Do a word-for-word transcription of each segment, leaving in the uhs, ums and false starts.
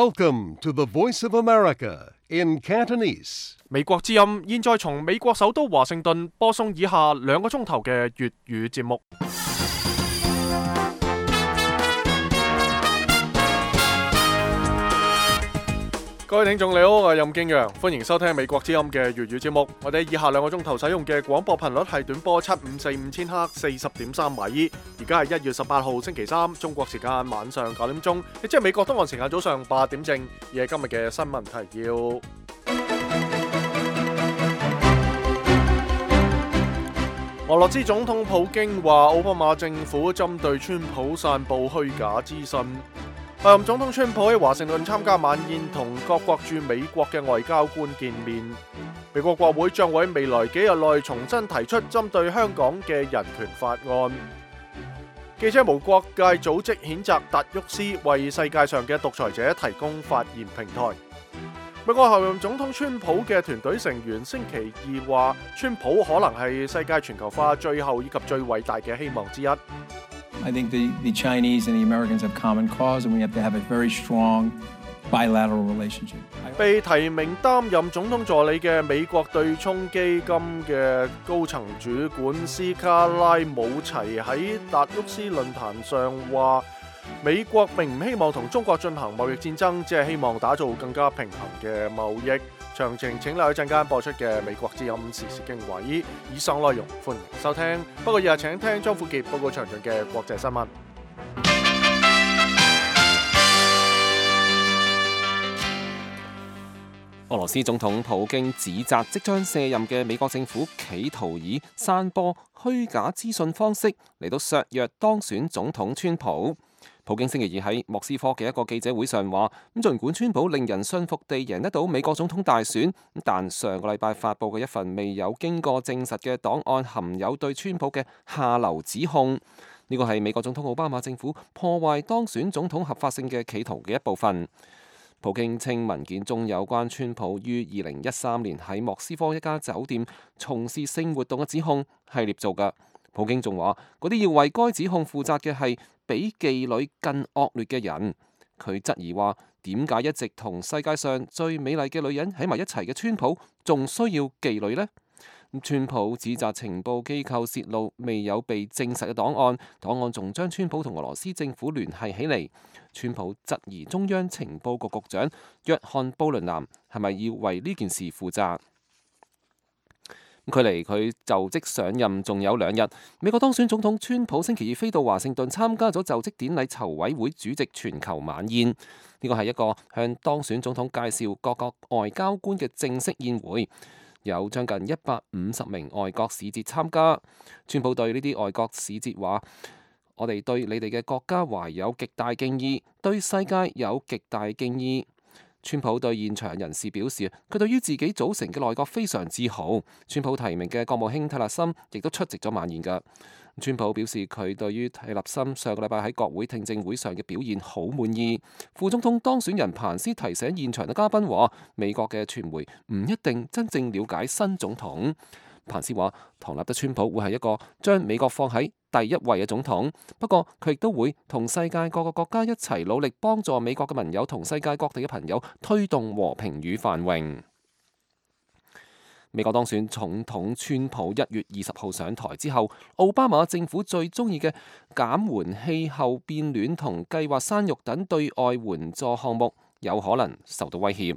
Welcome to the Voice of America in Cantonese. 美國之音現在從美國首都華盛頓播送以下兩個鐘頭嘅粵語節目。各位聽眾你好，我係任敬陽，歡迎收聽美國之音嘅粵語節目。我哋以下兩個鐘頭使用嘅廣播頻率係短波七五四五千赫四十點三米。而家係一月十八號星期三，中國時間晚上九點鐘，亦即係美國東岸時間早上八點正。而係今日嘅新聞提要。俄羅斯總統普京話，奧巴馬政府針對川普散布虛假資訊。候任總統川普喺華盛頓參加晚宴，同各國駐美國嘅外交官見面。美國國會將會喺未來幾日內重新提出針對香港嘅人權法案。記者無國界組織譴責達沃斯為世界上嘅獨裁者提供發言平台。美國候任總統川普嘅團隊成員星期二話，川普可能係世界全球化最後以及最偉大嘅希望之一。I think the, the Chinese and the Americans have common cause, and we have to have a very strong bilateral relationship. 被提名擔任總統助理嘅美國對沖基金嘅高層主管斯卡拉姆齊喺達沃斯論壇上話，美國並唔希望同中國進行貿易戰爭，只係希望打造更加平衡嘅貿易。詳情請留意陣間播出嘅美國之音時事經緯。以上內容歡迎收聽。不過以下請聽張富傑報告詳盡嘅國際新聞。俄羅斯總統普京指責即將卸任嘅美國政府企圖以散播虛假資訊方式嚟到削弱當選總統川普。普京星期二喺莫斯科嘅一個記者會上話，咁儘管川普令人信服地贏得到美國總統大選，但上個禮拜發布嘅一份未有經過證實嘅檔案含有對川普嘅下流指控。呢個係美國總統奧巴馬政府破壞當選總統合法性嘅企圖嘅一部分。普京稱文件中有關川普於二零一三年喺莫斯科一家酒店從事性活動嘅指控係捏造㗎。普京仲話，嗰啲要為該指控負責嘅係比妓女更惡劣嘅人。佢質疑話，點解一直同世界上最美麗嘅女人喺埋一齊嘅川普，仲需要妓女呢？川普指責情報機構泄露未有被證實嘅檔案，檔案仲將川普同俄羅斯政府聯繫起嚟。川普質疑中央情報局局長約翰布倫南係咪要為呢件事負責？距離佢就職上任仲有兩日，美國當選總統川普星期二飛到華盛頓參加咗就職典禮籌委會主席全球晚宴。呢個係一個向當選總統介紹各國外交官嘅正式宴會，有將近一百五十名外國使節參加。川普對呢啲外國使節話：我哋對你哋嘅國家懷有極大敬意，對世界有極大敬意。川普對現場人士表示，佢對於自己組成嘅內閣非常自豪。川普提名嘅國務卿蒂勒森亦都出席咗晚宴㗎。川普表示佢對於蒂勒森上個禮拜喺國會聽證會上嘅表現好滿意。副總統當選人彭斯提醒現場嘅嘉賓話，美國嘅傳媒唔一定真正了解新總統。彭斯話，唐納德川普會係一個將美國放喺第一位嘅總統，不過佢亦都會同世界各個國家一齊努力，幫助美國嘅盟友同世界各地嘅朋友推動和平與繁榮。美國當選總統川普一月二十號上台之後，奧巴馬政府最中意嘅減緩氣候變暖同計劃生育等對外援助項目有可能受到威脅。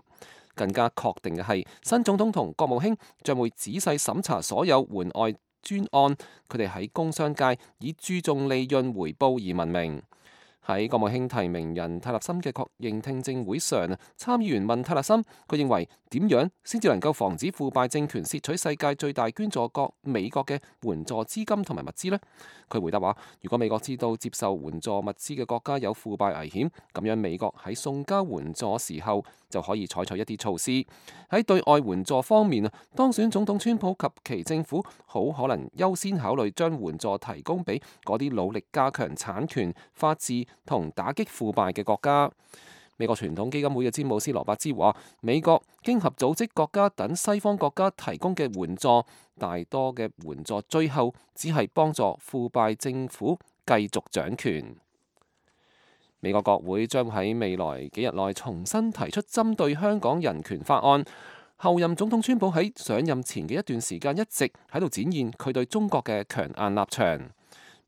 更加確定嘅係，新總統同國務卿將會仔細審查所有援外專案，佢哋喺工商界以注重利潤回報而聞名。喺國務卿提名人蒂勒森嘅確認聽證會上，參議員問蒂勒森，佢認為點樣先至能夠防止腐敗政權竊取世界最大捐助國美國嘅援助資金同埋物資呢？佢回答話：如果美國知道接受援助物資嘅國家有腐敗危險，咁樣美國喺送交援助時候就可以採取一啲措施。喺對外援助方面，當選總統川普及其政府好可能優先考慮將援助提供俾嗰啲努力加強產權、法治同打擊腐敗嘅國家。美國傳統基金會嘅詹姆斯羅伯茲話：美國經合組織國家等西方國家提供嘅援助，大多嘅援助最後只係幫助腐敗政府繼續掌權。美國國會將喺未來幾日內重新提出針對香港人權法案。後任總統川普喺上任前嘅一段時間一直喺度展現佢對中國嘅強硬立場。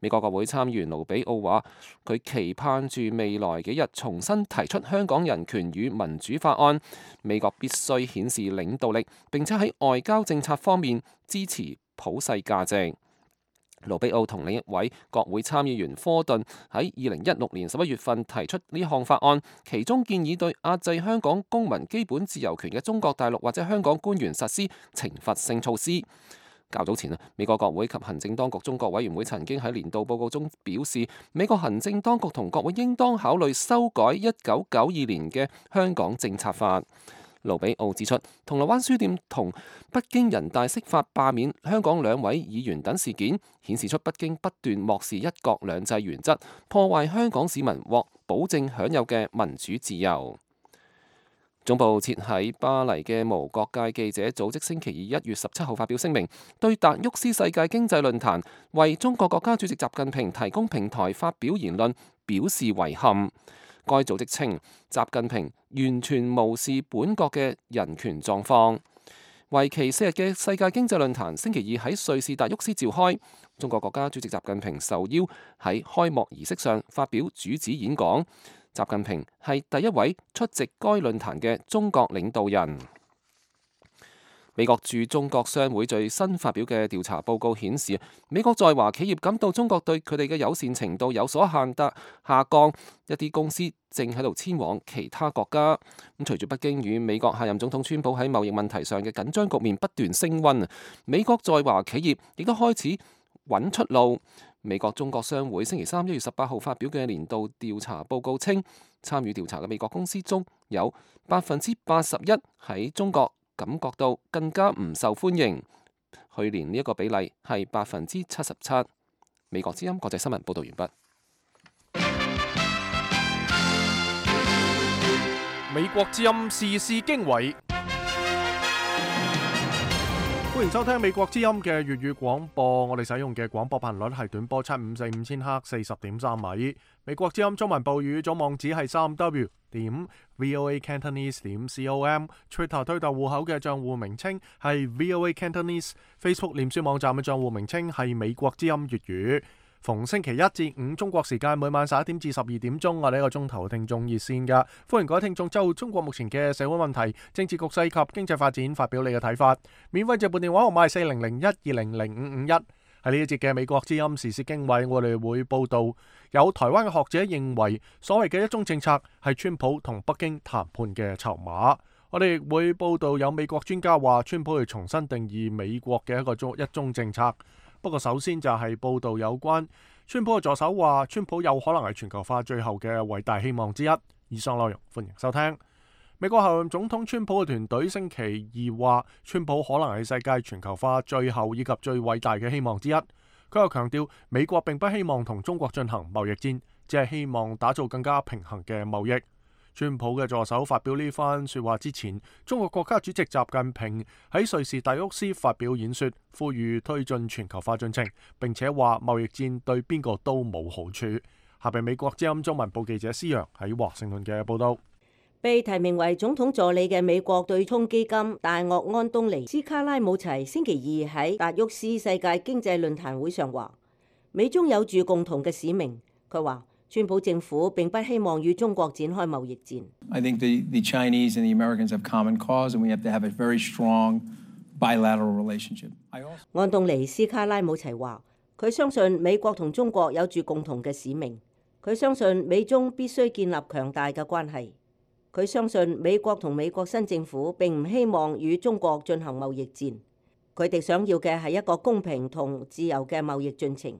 美國國會參議員盧比奧話：佢期盼住未來幾日重新提出香港人權與民主法案。美國必須顯示領導力，並且喺外交政策方面支持普世價值。盧比奧同另一位國會參議員科頓喺二零一六年十一月份提出呢項法案，其中建議對壓制香港公民基本自由權嘅中國大陸或者香港官員實施懲罰性措施。較早前啊，美國國會及行政當局中國委員會曾經喺年度報告中表示，美國行政當局同國會應當考慮修改一九九二年嘅香港政策法。盧比奧指出，銅鑼灣書店同北京人大釋法罷免香港兩位議員等事件，顯示出北京不斷漠視一國兩制原則，破壞香港市民獲保證享有嘅民主自由。總部設喺巴黎嘅無國界記者組織星期二一月十七號發表聲明，對達沃斯世界經濟論壇為中國國家主席習近平提供平台發表言論表示遺憾。該組織稱，習近平完全無視本國嘅人權狀況。為期四日嘅世界經濟論壇星期二喺瑞士達沃斯召開，中國國家主席習近平受邀喺開幕儀式上發表主旨演講。習近平係第一位出席該論壇嘅中國領導人。美國駐中國商會最新發表嘅調查報告顯示，美國在華企業感到中國對佢哋嘅友善程度有所限得下降，一啲公司正喺度遷往其他國家。咁隨住北京與美國下任總統川普喺貿易問題上嘅緊張局面不斷升溫，美國在華企業亦都開始揾出路。美國中國商會星期三一月十八號發表嘅年度調查報告稱，參與調查嘅美國公司中有百分之八十一喺中國感覺到更加唔受歡迎。去年呢一個比例係百分之七十七。美國之音國際新聞報道完畢。美國之音時事經緯，歡迎收聽美國之音嘅粵語廣播。我哋使用嘅廣播頻率係短波七五四五千赫四十點三米。美國之音中文部語總網址係三 w 點 voa cantonese 點 com。Twitter 推特戶口嘅賬戶名稱係 voa cantonese。Facebook 臉書網站嘅賬戶名稱係美國之音粵語。逢星期一至五中國時間每晚十一點至十二點鐘，我哋一個鐘頭聽眾熱線㗎，歡迎各位聽眾就中國目前嘅社會問題、政治局勢及經濟發展發表你嘅睇法。免費直撥電話號碼係四零零一二零零五五一。喺呢一節嘅美國之音時事經緯，我哋會報道有台灣嘅學者認為所謂嘅一中政策係川普同北京談判嘅籌碼。我哋亦會報道有美國專家話川普要重新定義美國嘅一個中一中政策。不過首先就係報道有關川普嘅助手話，川普有可能係全球化最後嘅偉大希望之一。以上內容歡迎收聽。美國後任總統川普嘅團隊星期二話，川普可能係世界全球化最後以及最偉大嘅希望之一。佢又強調，美國並不希望同中國進行貿易戰，只係希望打造更加平衡嘅貿易。川普嘅助手發表呢番說話之前，中國國家主席習近平喺瑞士達沃斯發表演說，呼籲推進全球化進程，並且話貿易戰對邊個都冇好處。下邊美國之音中文部記者施洋喺華盛頓嘅報道。被提名為總統助理嘅美國對沖基金大鱷安東尼斯卡拉姆齊星期二喺達沃斯世界經濟論壇會上話，美中有住共同嘅使命。佢話，川普政府並不希望與中國展開貿易戰。I think the, the Chinese and the Americans have common cause, and we have to have a very strong bilateral relationship. 安東尼斯卡拉姆齊話，佢相信美國同中國有住共同嘅使命。佢相信美中必須建立強大嘅關係。佢相信美國同美國新政府並唔希望與中國進行貿易戰。佢哋想要嘅係一個公平同自由嘅貿易進程。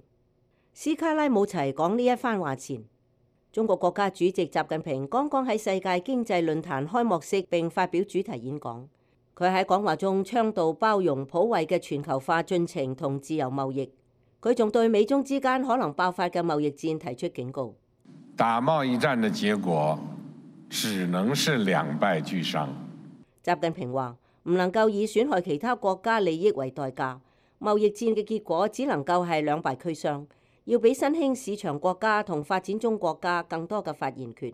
斯卡拉姆齊講呢一番話前，中國國家主席習近平剛剛喺世界經濟論壇開幕式並發表主題演講。佢喺講話中倡導包容普惠嘅全球化進程同自由貿易。佢仲對美中之間可能爆發嘅貿易戰提出警告。打貿易戰嘅結果只能是兩敗俱傷。習近平話唔能夠以損害其他國家利益為代價，貿易戰嘅結果只能夠係兩敗俱傷。要俾新興市場國家同發展中國家更多嘅發言權。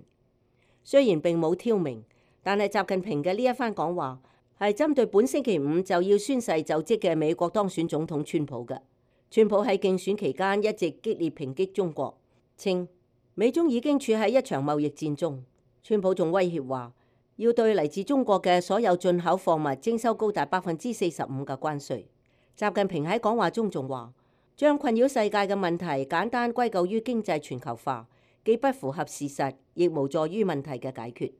雖然並冇挑明，但係習近平嘅呢一番講話係針對本星期五就要宣誓就職嘅美國當選總統川普嘅。川普喺競選期間一直激烈抨擊中國，稱美中已經處喺一場貿易戰中。川普仲威脅話要對嚟自中國嘅所有進口貨物徵收高達百分之四十五嘅關稅。習近平喺講話中仲話，將困擾世界嘅問題簡單歸咎於經濟全球化，既不符合事實，亦無助於問題嘅解決。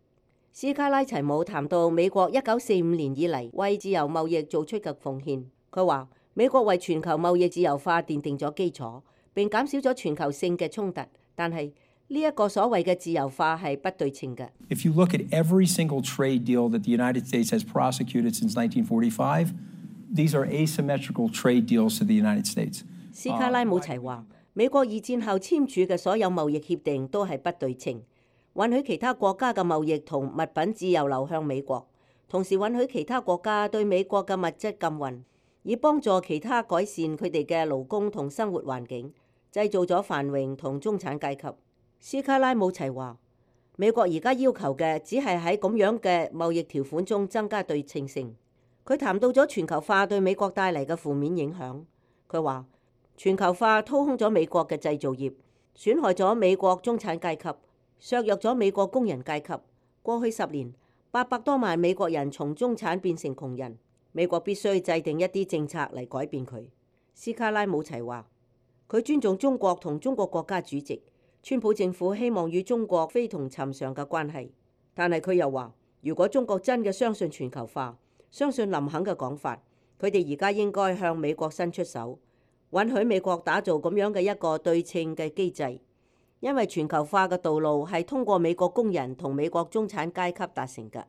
斯卡拉齊姆談到美國一九四五年以嚟為自由貿易做出嘅奉獻，佢話美國為全球貿易自由化奠定咗基礎，並減少咗全球性嘅衝突。但係呢一個所謂嘅自由化係不對稱嘅。If you look at every single trade deal that the United States has prosecuted since nineteen forty-five, these are asymmetrical trade deals to the United States. 斯卡拉姆齊話，美國二戰後簽署嘅所有貿易協定都係不對稱，允許其他國家嘅貿易同物品自由流向美國，同時允許其他國家對美國嘅物質禁運，以幫助其他改善佢哋嘅勞工同生活環境，製造咗繁榮同中產階級。斯卡拉姆齊話，美國而家要求嘅只係喺咁樣嘅貿易條款中增加對稱性。佢談到咗全球化對美國帶嚟嘅負面影響，佢話全球化掏空咗美國嘅製造業，損害咗美國中產階級，削弱咗美國工人階級。過去十年，八百多萬美國人從中產變成窮人，美國必須制定一啲政策嚟改變佢。斯卡拉姆齊話，佢尊重中國同中國國家主席，川普政府希望與中國非同尋常嘅關係，但係佢又話，如果中國真嘅相信全球化，相信林肯嘅講法，佢哋而家應該向美國伸出手，允許美國打造咁樣嘅一個對稱嘅機制，因為全球化嘅道路係通過美國工人同美國中產階級達成嘅。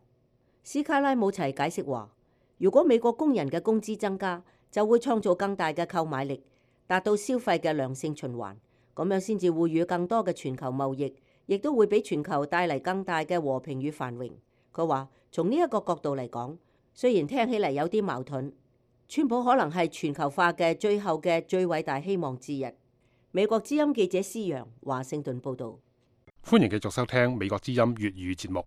斯卡拉姆齊解釋話，如果美國工人嘅工資增加，就會創造更大嘅購買力，達到消費嘅良性循環，咁樣先至會與更多嘅全球貿易，亦都會俾全球帶嚟更大嘅和平與繁榮。佢話，從呢一個角度嚟講，雖然聽起嚟有啲矛盾，川普可能係全球化嘅最後嘅最偉大希望之一。美國之音記者施陽，華盛頓報導。歡迎繼續收聽美國之音粵語節目。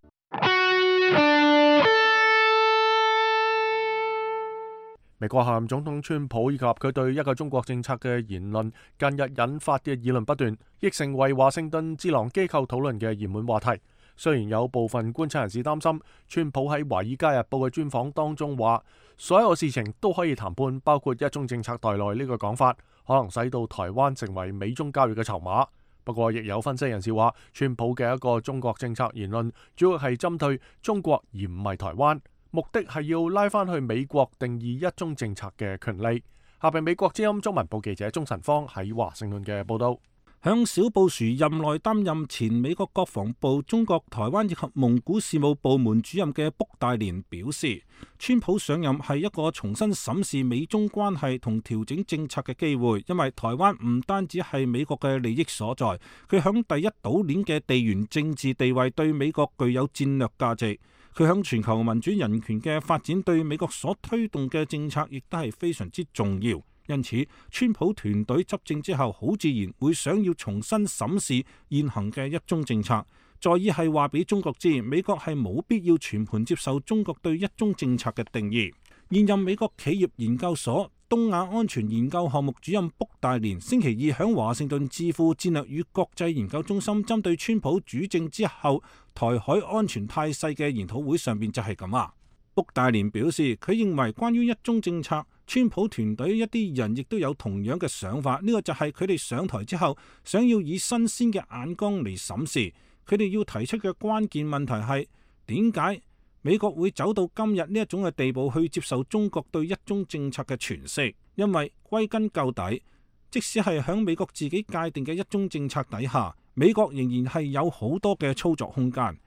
美國下任總統川普以及佢對一個中國政策嘅言論，近日引發嘅議論不斷，亦成為華盛頓智囊機構討論嘅熱門話題。雖然有部分觀察人士擔心，川普喺《華爾街日報》嘅專訪當中話，所有事情都可以談判，包括一中政策在內呢個講法，可能使到台灣成為美中交易嘅籌碼。不過，亦有分析人士話，川普嘅一個中國政策言論，主要係針對中國而唔係台灣，目的係要拉翻去美國定義一中政策嘅權利。下邊美國之音中文部記者鍾晨芳喺華盛頓嘅報道。向小布殊任內擔任前美國國防部中國台灣以及蒙古事務部門主任嘅卜戴連表示，川普上任係一個重新審視美中關係同調整政策嘅機會，因為台灣唔單止係美國嘅利益所在，佢響第一島鏈嘅地緣政治地位對美國具有戰略價值，佢響全球民主人權嘅發展對美國所推動嘅政策亦都係非常之重要。因此，川普團隊執政之後，好自然會想要重新審視現行嘅一中政策，在意係話俾中國知，美國係冇必要全盤接受中國對一中政策嘅定義。現任美國企業研究所東亞安全研究項目主任卜戴連星期二喺華盛頓智庫戰略與國際研究中心針對川普主政之後台海安全態勢嘅研討會上面就係咁話。卜戴連表示，佢認為關於一中政策，川普團隊一啲人亦都有同樣嘅想法，呢個就係佢哋上台之後想要以新鮮嘅眼光嚟審視。佢哋要提出嘅關鍵問題係點解美國會走到今日呢一種嘅地步去接受中國對一中政策嘅詮釋？因為歸根究底，即使係響美國自己界定嘅一中政策底下，美國仍然係有好多嘅操作空間。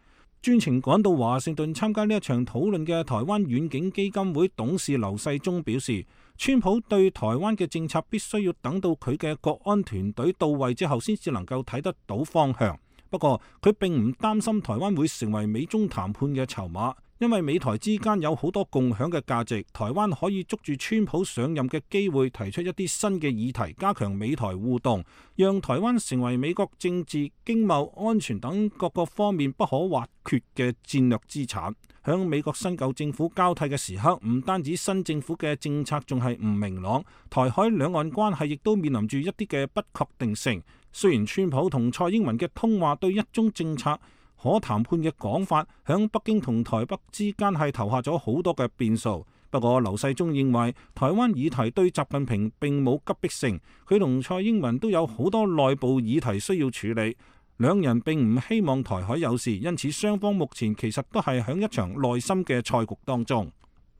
專程趕到華盛頓參加呢一場討論嘅台灣遠景基金會董事劉世忠表示，川普對台灣嘅政策必須要等到佢嘅國安團隊到位之後先至能夠睇得到方向。不過佢並唔擔心台灣會成為美中談判嘅籌碼，因為美台之間有好多共享嘅價值，台灣可以捉住川普上任嘅機會，提出一啲新嘅議題，加強美台互動，讓台灣成為美國政治、經貿、安全等各個方面不可或缺嘅戰略資產。響美國新舊政府交替嘅時刻，唔單止新政府嘅政策仲係唔明朗，台海兩岸關係亦都面臨住一啲嘅不確定性。雖然川普同蔡英文嘅通話對一中政策可談判嘅講法，響北京同台北之間係投下咗好多嘅變數。不過劉世忠認為台灣議題對習近平並冇急迫性，佢同蔡英文都有好多內部議題需要處理，兩人並唔希望台海有事，因此雙方目前其實都係響一場內心嘅賽局當中。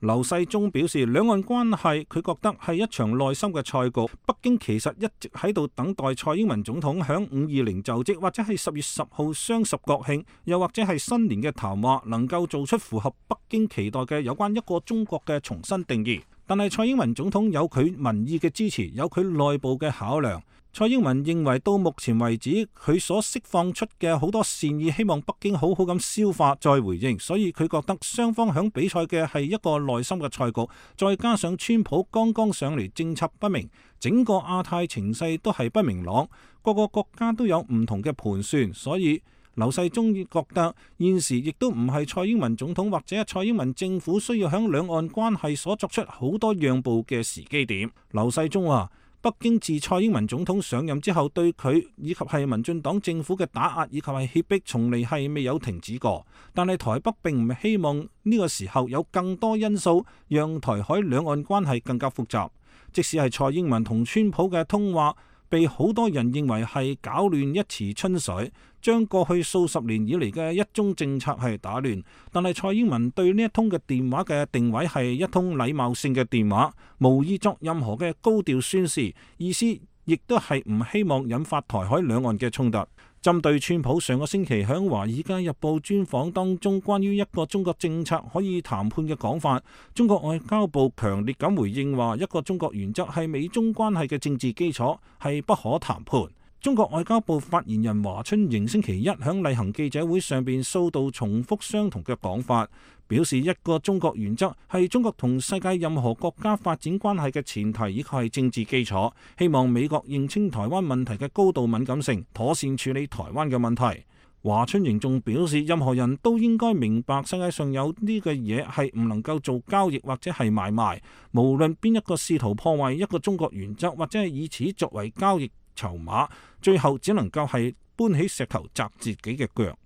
劉世忠表示，兩岸關係佢覺得係一場內心嘅賽局。北京其實一直喺度等待蔡英文總統響五二零就職，或者係十月十號雙十國慶，又或者係新年嘅談話，能夠做出符合北京期待嘅有關一個中國嘅重新定義。但係蔡英文總統有佢民意嘅支持，有佢內部嘅考量。蔡英文認為到目前為止，佢所釋放出嘅好多善意，希望北京好好咁消化再回應，所以佢覺得雙方響比賽嘅係一個內心嘅賽局，再加上川普剛剛上嚟，政策不明，整個亞太情勢都係不明朗，各個國家都有唔同嘅盤算，所以劉世忠覺得現時亦都唔係蔡英文總統或者蔡英文政府需要響兩岸關係所作出好多讓步嘅時機點。劉世忠話，北京自蔡英文總統上任之後，對佢以及係民進黨政府嘅打壓以及係脅迫，從嚟係未有停止過。但係台北並唔希望呢個時候有更多因素讓台海兩岸關係更加複雜。即使係蔡英文同川普嘅通話，被好多人認為係攪亂一池春水，將過去數十年以嚟嘅一中政策係打亂。但係蔡英文對呢一通嘅電話嘅定位係一通禮貌性嘅電話，無意作任何嘅高調宣示，意思亦都係唔希望引發台海兩岸嘅衝突。針對川普上個星期喺《華爾街日報》專訪當中關於一個中國政策可以談判嘅講法，中國外交部強烈咁回應話，一個中國原則係美中關係嘅政治基礎，係不可談判。中國外交部發言人華春瑩星期一喺例行記者會上邊數度重複相同嘅講法，表示一個中國原則係中國同世界任何國家發展關係嘅前提，以及係政治基礎。希望美國認清台灣問題嘅高度敏感性，妥善處理台灣嘅問題。華春瑩仲表示，任何人都應該明白世界上有呢個嘢係唔能夠做交易或者係買賣，無論邊一個試圖破壞一個中國原則或者係以此作為交易籌碼，最後只能夠係搬起石頭砸自己嘅腳。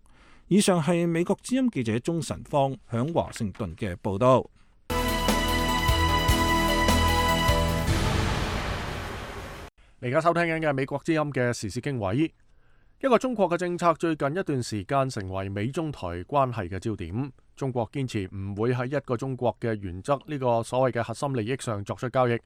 以上係美國之音記者鍾晨芳響華盛頓嘅報道。你而家收聽緊嘅係美國之音嘅時事經緯。一個中國嘅政策最近一段時間成為美中台關係嘅焦點。中國堅持唔會喺一個中國嘅原則呢個所謂嘅核心利益上作出交易。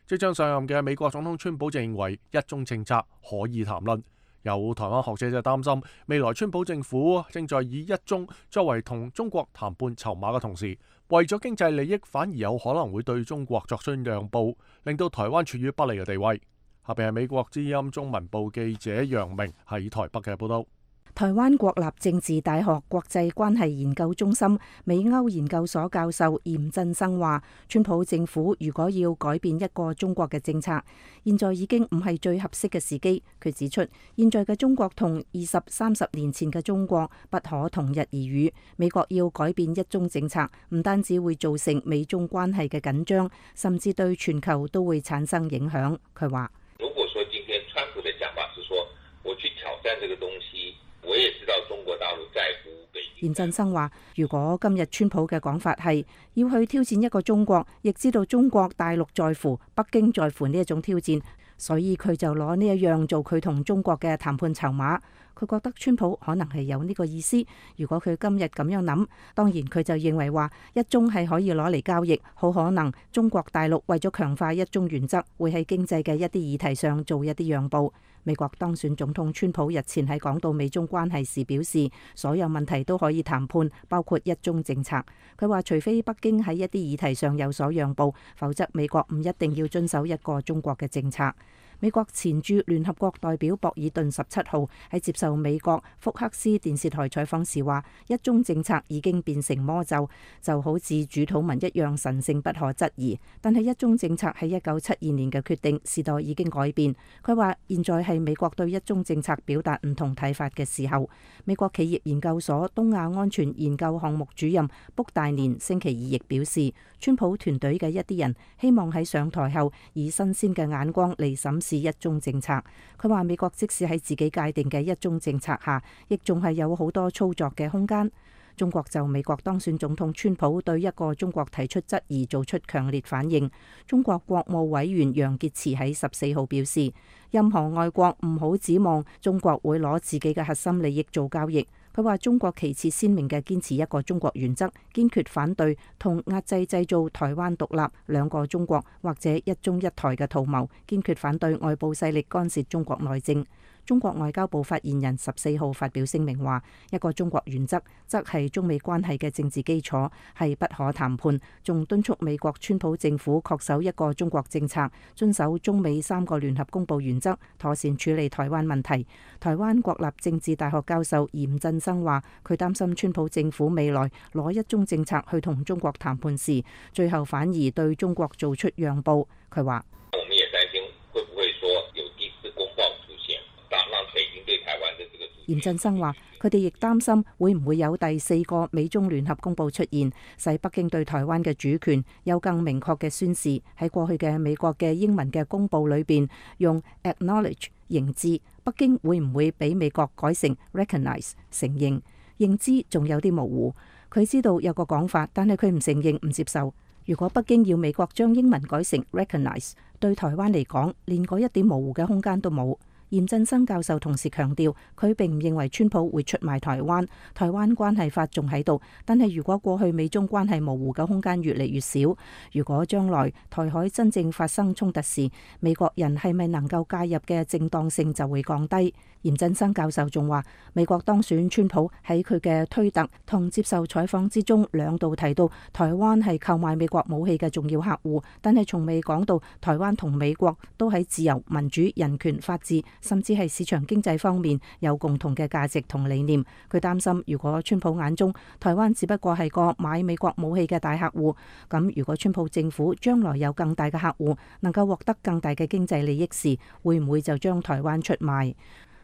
即將上任嘅美國總統川普就認為一中政策可以談論。有台灣學者就擔心，未來川普政府正在以一中作為同中國談判籌碼嘅同時，為咗經濟利益，反而有可能會對中國作出讓步，令到台灣處於不利嘅地位。下邊係美國之音中文部記者楊明喺台北嘅報道。台灣國立政治大學國際關係研究中心美歐研究所教授嚴振生話，川普政府如果要改變一個中國嘅政策，現在已經唔係最合適嘅時機。佢指出，現在嘅中國同二十三十年前嘅中國不可同日而語。美國要改變一中政策，唔單止會造成美中關係嘅緊張，甚至對全球都會產生影響。佢話：如果說今天川普的講法是說，我去挑戰這個東西，我也知道中國大陸在乎北京。嚴振生話：如果今日川普嘅講法係要去挑戰一個中國，亦知道中國大陸在乎、北京在乎呢一種挑戰，所以佢就攞呢一樣做佢同中國嘅談判籌碼。佢覺得川普可能係有呢個意思。如果佢今日咁樣諗，當然佢就認為話一中係可以攞嚟交易，好可能中國大陸為咗強化一中原則，會喺經濟嘅一啲議題上做一啲讓步。美國當選總統川普日前喺講到美中關係時表示，所有問題都可以談判，包括一中政策。佢話除非北京喺一啲議題上有所讓步，否則美國唔一定要遵守一個中國嘅政策。美國前駐聯合國代表博爾頓十七號喺接受美國福克斯電視台採訪時話：一中政策已經變成魔咒，就好似主禱文一樣神聖不可質疑。但係一中政策係一九七二年嘅決定，時代已經改變。佢話現在係美國對一中政策表達唔同睇法嘅時候。美國企業研究所東亞安全研究項目主任卜大年星期二亦表示，川普團隊嘅一啲人希望喺上台後以新鮮嘅眼光嚟審視一中政策。佢話美國即使喺自己界定嘅一中政策下，亦仲係有好多操作嘅空間。中國就美國當選總統川普對一個中國提出質疑做出強烈反應。中國國務委員楊潔篪喺十四號表示，任何外國唔好指望中國會攞自己嘅核心利益做交易。佢話中國旗幟鮮明嘅堅持一個中國原則，堅決反對同壓制製造台灣獨立、兩個中國或者一中一台嘅圖謀，堅決反對外部勢力干涉中國內政。中國外交部發言人十四號發表聲明話，一個中國原則則係中美關係嘅政治基礎，係不可談判，仲敦促美國川普政府恪守一個中國政策，遵守中美三個聯合公報原則，妥善處理台灣問題。台灣國立政治大學教授嚴振生話，佢擔心川普政府未來攞一中政策去同中國談判時，最後反而對中國做出讓步。佢話：我們也擔心會不會說有第四公報出現，讓讓北京對台灣的這個。嚴振生話：佢哋亦擔心會唔會有第四個美中聯合公報出現，使北京對台灣嘅主權有更明確嘅宣示。喺過去嘅美國嘅英文嘅公報裏邊用 acknowledge 認知，北京會唔會俾美國改成 recognize 承認？認知仲有啲模糊。佢知道有個講法，但係佢唔承認唔接受。如果北京要美國將英文改成 recognize， 對台灣嚟講連嗰一點模糊嘅空間都冇。嚴振生教授同時強調，佢並唔認為川普會出賣台灣，台灣關係法仲喺度。但係如果過去美中關係模糊嘅空間越嚟越少，如果將來台海真正發生衝突時，美國人係咪能夠介入嘅正當性就會降低。嚴振生教授仲話，美國當選川普喺佢嘅推特同接受採訪之中，兩度提到台灣係購買美國武器嘅重要客戶，但係從未講到台灣同美國都喺自由、民主、人權、法治，甚至係市場經濟方面有共同嘅價值同理念。佢擔心，如果川普眼中台灣只不過係個買美國武器嘅大客戶，咁如果川普政府將來有更大嘅客戶，能夠獲得更大嘅經濟利益時，會唔會就將台灣出賣？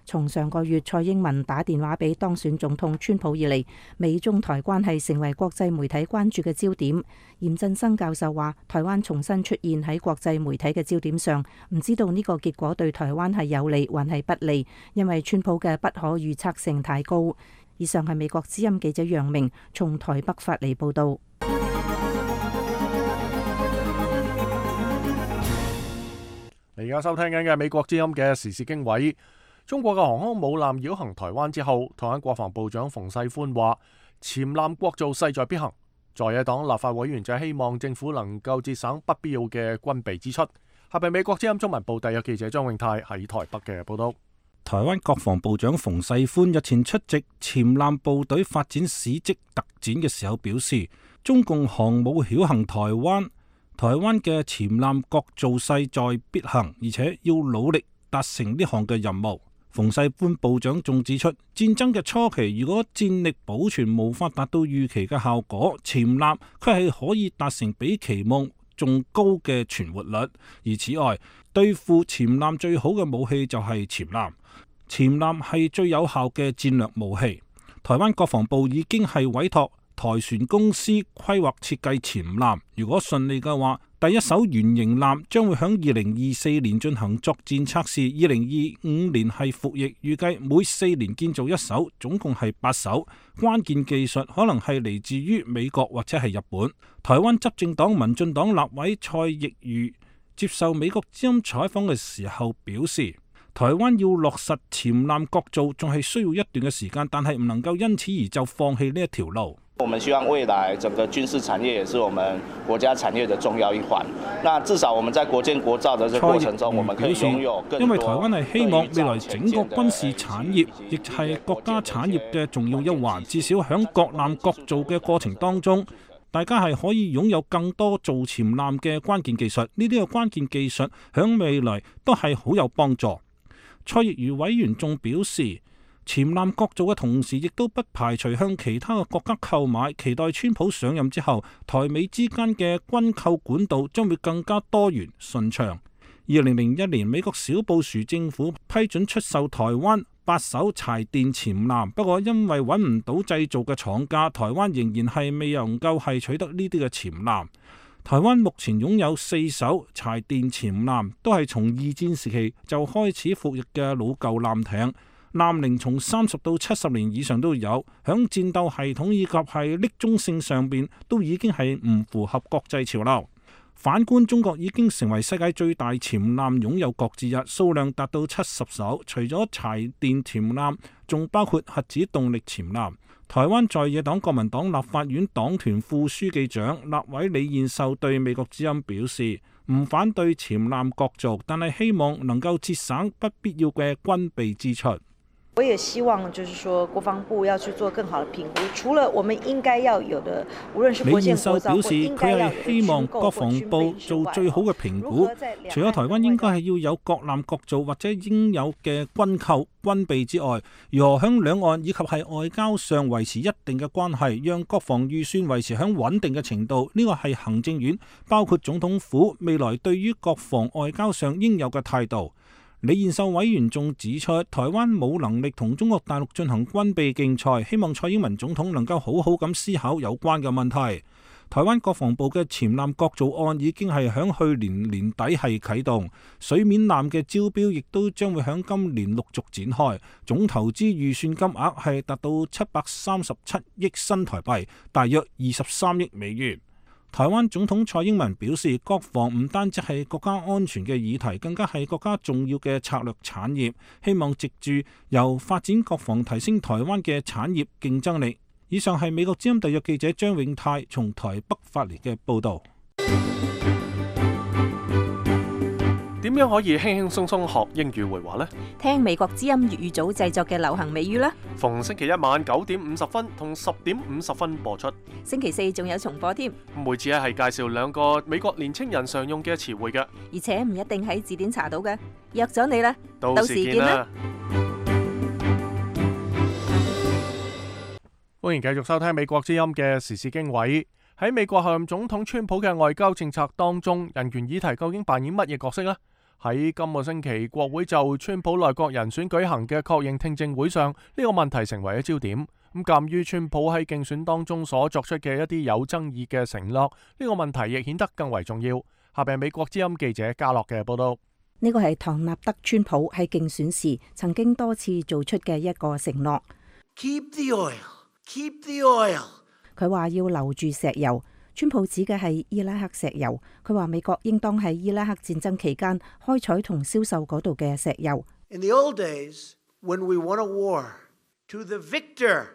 從上個月蔡英文打電話俾當選總統川普以嚟，美中台關係成為國際媒體關注嘅焦點。嚴振生教授話，台灣重新出現喺國際媒體嘅焦點上，唔知道呢個結果對台灣係有利還係不利，因為川普嘅不可預測性太高。以上係美國之音記者楊明從台北發嚟報道。你而家收聽緊嘅美國之音嘅時事經緯。中國嘅航空母艦繞行台灣之後，台灣國防部長馮世寬話：潛艦國造勢在必行。在野黨立法委員就希望政府能夠節省不必要嘅軍備支出。下邊美國之音中文部特約記者張永泰喺台北嘅報道。台灣國防部長馮世寬日前出席潛艦部隊發展史蹟特展嘅時候表示，中共航母繞行台灣，台灣嘅潛艦國造勢在必行，而且要努力達成呢項嘅任務。馮世寬部長仲指出，戰爭嘅初期，如果戰力保存無法達到預期嘅效果，潛艦佢係可以達成比期望仲高嘅存活率。而此外，對付潛艦最好嘅武器就係潛艦，潛艦係最有效嘅戰略武器。台灣國防部已經係委託台船公司規劃設計潛艦，如果順利嘅話，第一艘原型艦將會響二零二四年進行作戰測試，二零二五年係服役，預計每四年建造一艘，總共係八艘。關鍵技術可能係嚟自於美國或者係日本。台灣執政黨民進黨立委蔡奕瑜接受美國之音採訪嘅時候表示，台灣要落實潛艦國造仲係需要一段嘅時間，但係唔能夠因此而就放棄呢一條路。我們希望未來整個軍事產業也是我們國家產業的重要一環。那至少我們在國建國造的這個過程中，我們可以擁有更多。因為台灣係希望未來整個軍事產業亦係國家產業嘅重要一環，至少響國艦國造嘅過程當中，大家係可以擁有更多造潛艦嘅關鍵技術，呢啲嘅關鍵技術響未來都係好有幫助。蔡亦如委員仲表示，潛艦國造嘅同時，亦都不排除向其他嘅國家購買，期待川普上任之後，台美之間嘅軍購管道將會更加多元順暢。二零零一年，美國小布殊政府批准出售台灣八艘柴電潛艦，不過因為揾唔到製造嘅廠家，台灣仍然係未能夠係取得呢啲嘅潛艦。台灣目前擁有四艘柴電潛艦，都係從二戰時期就開始服役嘅老舊艦艇，艦齡從三十到七十年以上都有，響戰鬥系統以及係匿蹤性上邊都已經係唔符合國際潮流。反觀中國已經成為世界最大潛艦擁有國之一，數量達到七十艘。除咗柴電潛艦，仲包括核子動力潛艦。台灣在野黨國民黨立法院黨團副書記長立委李彥秀對美國之音表示，唔反對潛艦國造，但係希望能夠節省不必要嘅軍備支出。我也希望就是說國防部要去做更好的評估，除了我們應該要有的，無論是國艦國造，李彥秀表示佢係希望國防部做最好嘅評估，除咗台灣應該係要有國艦國造或者應有嘅軍購軍備之外，如何響兩岸以及係外交上維持一定嘅關係，讓國防預算維持響穩定嘅程度，呢個係行政院包括總統府未來對於國防外交上應有嘅態度。李彥秀委員仲指出，台灣冇能力同中國大陸進行軍備競賽，希望蔡英文總統能夠好好咁思考有關嘅問題。台灣國防部嘅潛艦國造案已經係響去年年底係啟動，水面艦嘅招標亦都將會響今年陸續展開，總投資預算金額係達到七百三十七億新台幣，大約二十三億美元。台灣總統蔡英文表示，國防唔單止係國家安全嘅議題，更加係國家重要嘅策略產業，希望藉住由發展國防提升台灣嘅產業競爭力。以上係美國之音特約記者張永泰從台北發嚟嘅報導。點樣可以輕輕鬆鬆學英語會話呢？聽美國之音粵語組製作嘅流行美語啦！逢星期一晚九點五十分同十點五十分播出。星期四仲有重播添。每次咧係介紹兩個美國年青人常用嘅詞彙嘅，而且唔一定喺字典查到嘅。約咗你啦，到時見啦！歡迎繼續收聽美國之音嘅時事經緯。喺美國候任總統川普嘅外交政策當中，人權議題究竟扮演乜嘢角色呢？喺今個星期國會就川普內閣人選舉行嘅確認聽證會上，呢個問題成為咗焦點。咁鑑於川普喺競選當中所作出嘅一啲有爭議嘅承諾，呢個問題亦顯得更為重要。下邊美國之音記者嘉樂嘅報道。呢個係唐納德川普喺競選時曾經多次做出嘅一個承諾。Keep the oil, keep the oil。佢話要留住石油。川普指嘅係伊拉克石油，佢話美國應當喺伊拉克戰爭期間開採同銷售嗰度嘅石油。In the old days, when we won a war, to the victor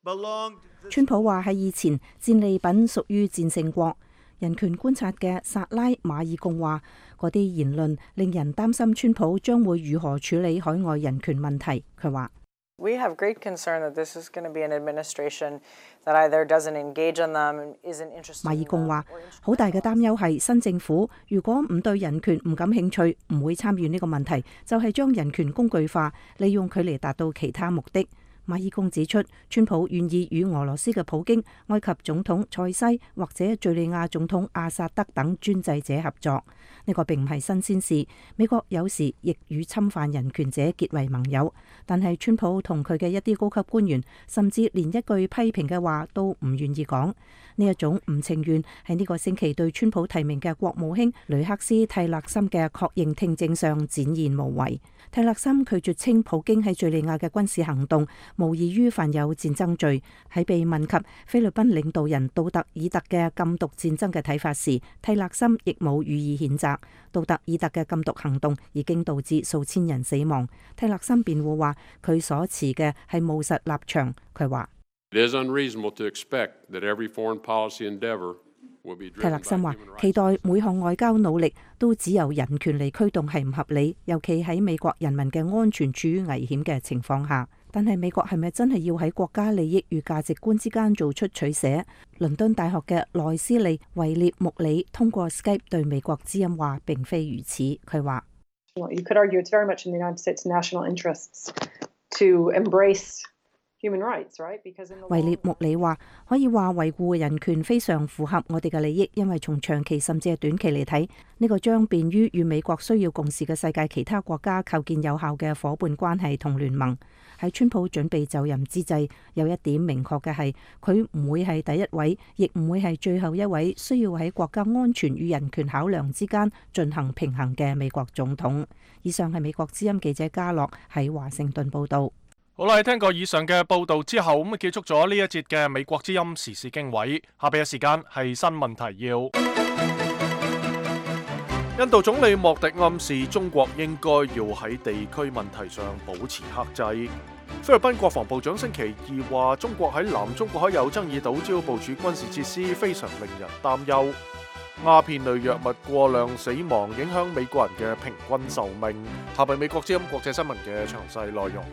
belonged。川普話喺以前戰利品屬於戰勝國。人權觀察嘅薩拉馬爾貢話，嗰啲言論令人擔心川普將會如何處理海外人權問題。佢話。We have great concern that this is going to be an administration that either doesn't engage on them, isn't interested. 馬爾貢話：好大嘅擔憂係新政府如果唔對人權唔感興趣，唔會參與呢個問題，就係將人權工具化，利用佢嚟達到其他目的。馬爾貢指出，川普願意與俄羅斯嘅普京、埃及總統塞西或者敘利亞總統阿薩德等專制者合作。呢個並唔係新鮮事，美國有時亦與侵犯人權者結為盟友。但係川普同佢嘅一啲高級官員，甚至連一句批評嘅話都唔願意講。呢一種唔情願喺呢個星期對川普提名嘅國務卿雷克斯蒂勒森嘅確認聽證上展現無遺。蒂勒森拒絕稱普京喺敘利亞嘅軍事行動無異於犯有戰爭罪。喺被問及菲律賓領導人杜特爾特嘅禁毒戰爭嘅睇法時，蒂勒森亦冇予以譴責。杜特爾特嘅禁毒行動已經導致數千人死亡。蒂勒森辯護話，佢所持嘅係務實立場。佢話。蒂勒森話：期待每項外交努力都只由人權嚟驅動係唔合理，尤其喺美國人民嘅安全處於危險嘅情況下。但係美國係咪真係要喺國家利益與價值觀之間做出取捨？倫敦大學嘅內斯利維列穆里通過 Skype 對美國之音話並非如此。佢話You could argue it's very much in the United States' national interests to embrace human rights, right? Because in the 維列穆里話可以話維護人權非常符合我哋嘅利益，因為從長期甚至係短期嚟睇，呢個將便於與美國需要共事嘅世界其他國家構建有效嘅夥伴關係同聯盟。喺川普準備就任之際，有一點明確嘅係，佢唔會係第一位，亦唔會係最後一位需要喺國家安全與人權考量之間進行平衡嘅美國總統。以上係美國之音記者嘉樂喺華盛頓報導。好啦，喺聽過以上嘅報導之後，咁啊結束咗呢一節嘅美國之音時事經緯。下邊嘅時間係新聞提要。印度總理莫迪暗示中國應該要喺地區問題上保持克制。菲律賓國防部長星期二話，中國喺南中國海有爭議島礁部署軍事設施，非常令人擔憂。鴉片類藥物過量死亡影響美國人嘅平均壽命。下邊美國之音國際新聞嘅詳細內容。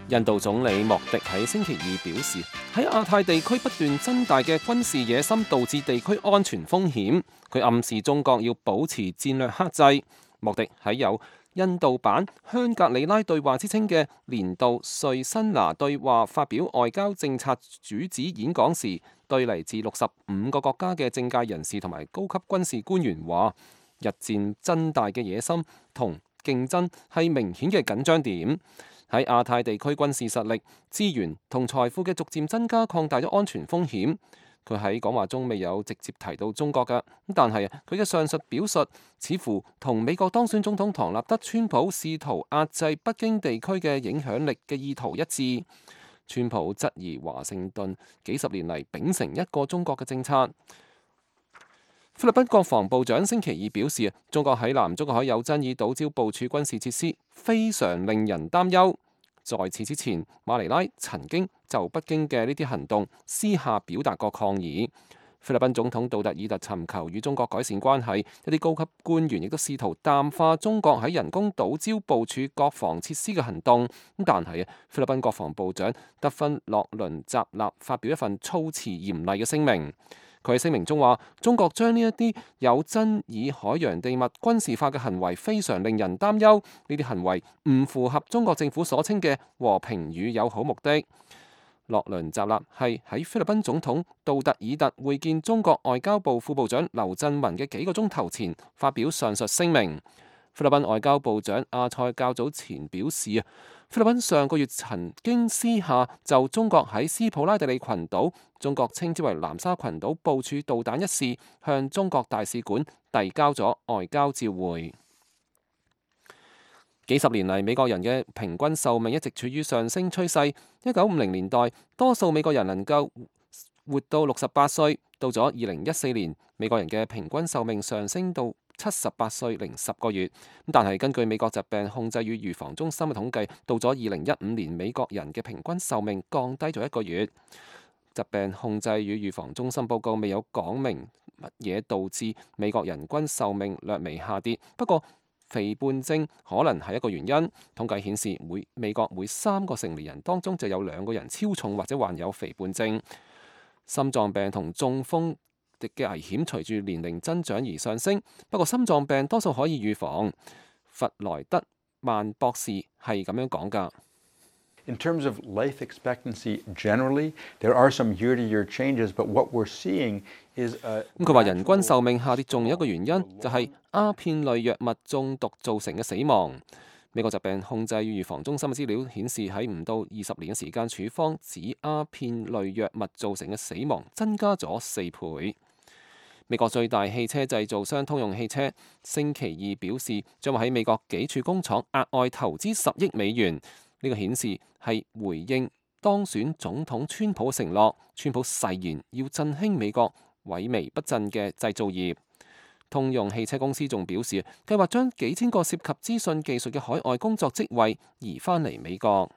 印度總理莫迪喺星期二表示，喺亞太地區不斷增大嘅軍事野心導致地區安全風險。佢暗示中國要保持戰略克制。莫迪喺有印度版香格里拉對話之稱嘅年度瑞辛拿對話發表外交政策主旨演講時，對嚟自六十五個國家嘅政界人士同埋高級軍事官員話，日漸增大嘅野心同競爭係明顯嘅緊張點。喺亞太地區軍事實力、資源同財富嘅逐漸增加，擴大咗安全風險。佢喺講話中未有直接提到中國㗎，但係佢嘅上述表述似乎同美國當選總統唐納德·川普試圖壓制北京地區嘅影響力嘅意圖一致。川普質疑華盛頓幾十年嚟秉承一個中國嘅政策。菲律賓國防部長星期二表示，中國喺南中國海有爭議島礁部署軍事設施，非常令人擔憂。在此之前，馬尼拉曾經就北京嘅呢啲行動私下表達過抗議。菲律賓總統杜特爾特尋求與中國改善關係，一啲高級官員亦都試圖淡化中國喺人工島礁部署國防設施嘅行動。但係菲律賓國防部長德芬洛倫扎納發表一份措辭嚴厲嘅聲明。佢喺聲明中話，中國將呢一啲有爭議海洋地物軍事化嘅行為非常令人擔憂，呢啲行為唔符合中國政府所稱嘅和平與友好目的。洛倫扎納係喺菲律賓總統杜特爾特會見中國外交部副部長劉振文嘅幾個鐘頭前發表上述聲明。菲律賓外交部長阿塞較早前表示啊，菲律賓上個月曾經私下就中國喺斯普拉蒂利群島，中國稱之為南沙群島部署導彈一事，向中國大使館遞交咗外交照會。幾十年嚟，美國人嘅平均壽命一直處於上升趨勢。一九五零年代，多數美國人能夠活到六十八歲，到咗二零一四年，美國人嘅平均壽命上升到七十八歲零十個月。但係根據美國疾病控制與預防中心嘅統計，到咗二零一五年，美國人嘅平均壽命降低咗一個月。疾病控制與預防中心報告未有講明乜嘢導致美國人均壽命略微下跌，不過肥胖症可能係一個原因。統計顯示，每美國每三個成年人當中就有兩個人超重或者患有肥胖症。心臟病同中風嘅危險隨住年齡增長而上升，不過心臟病多數可以預防。弗萊德曼博士係咁樣講㗎。In terms of life expectancy generally, there are some year-to-year changes, but what we're seeing is a 咁佢話人均壽命下跌仲有一個原因，就係鴉片類藥物中毒造成嘅死亡。美國疾病控制與預防中心嘅資料顯示，喺唔到二十年嘅時間，處方指鴉片類藥物造成嘅死亡增加咗四倍。美國最大汽車製造商通用汽車星期二表示，將會喺美國幾處工廠額外投資十億美元。呢個顯示係回應當選總統川普嘅承諾。川普誓言要振興美國萎靡不振嘅製造業。通用汽車公司仲表示，計劃將幾千個涉及資訊技術嘅海外工作職位移返嚟美國。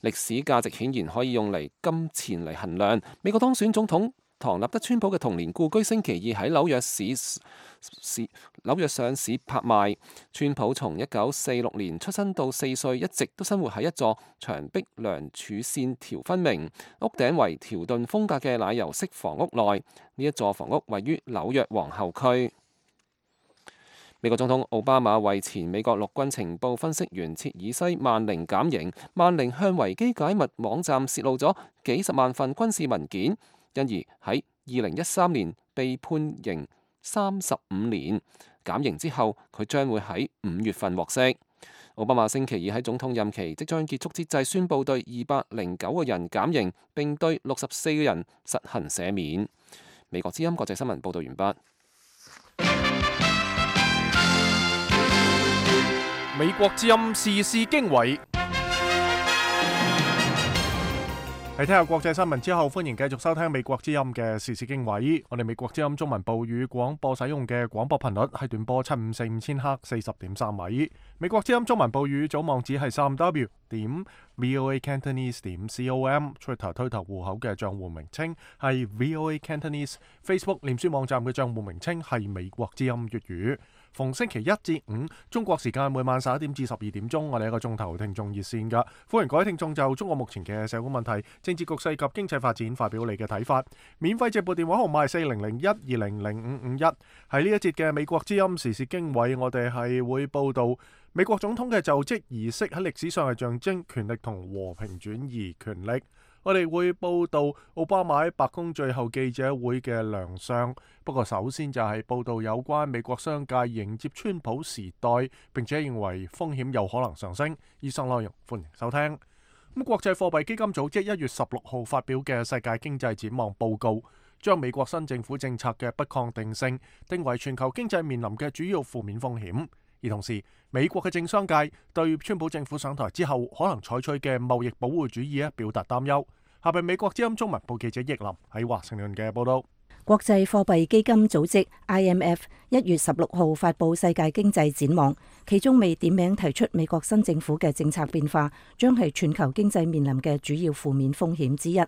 歷史價值顯然可以用嚟金錢嚟衡量。美國當選總統唐納德川普嘅童年故居星期二喺紐約市市紐約上市拍賣。川普從一九四六年出生到四歲，一直都生活喺一座牆壁梁柱線條分明、屋頂為條頓風格嘅奶油式房屋內。呢一座房屋位於紐約皇后區。美國總統奧巴馬為前美國陸軍情報分析員切爾西曼寧減刑，曼寧向維基解密網站泄露咗幾十萬份軍事文件，因而喺二零一三年被判刑三十五年。減刑之後，佢將會喺五月份獲釋。奧巴馬星期二喺總統任期即將結束之際，宣布對二百零九個人減刑，並對六十四個人實行赦免。美國之音國際新聞報道完畢。美國之音時事經緯，喺聽下國際新聞之後，歡迎繼續收聽美國之音嘅時事經緯。我哋美國之音中文部語廣播使用嘅廣播頻率係短波七五四五千赫四十點三米。美國之音中文部語總網址係三 w 點 voa cantonese 點 com。Twitter 推特戶口嘅賬戶名稱係 voa cantonese。Facebook 臉書網站嘅賬戶名稱係美國之音粵語。逢星期一至五中國時間每晚十一點至十二點鐘，我哋一個鐘頭聽眾熱線㗎，歡迎各位聽眾就中國目前嘅社會問題、政治局勢及經濟發展發表你嘅睇法。免費直撥電話號碼係四零零一二零零五五一。喺呢一節嘅美國之音時事經緯，我哋係會報道美國總統嘅就職儀式喺歷史上係象徵權力同和平轉移權力。我哋會報道奧巴馬喺白宮最後記者會嘅亮相。不過首先就係報道有關美國商界迎接川普時代，並且認為風險有可能上升。以上內容歡迎收聽。咁國際貨幣基金組織一月十六號發表嘅世界經濟展望報告，將美國新政府政策嘅不確定性定為全球經濟面臨嘅主要負面風險。而同時，美國嘅政商界對川普政府上台之後可能採取嘅貿易保護主義表達擔憂。下邊美國之音中文部記者易林喺華盛頓嘅報道。國際貨幣基金組織 I M F 一月十六號發布世界經濟展望，其中未點名提出美國新政府嘅政策變化將係全球經濟面臨嘅主要負面風險之一。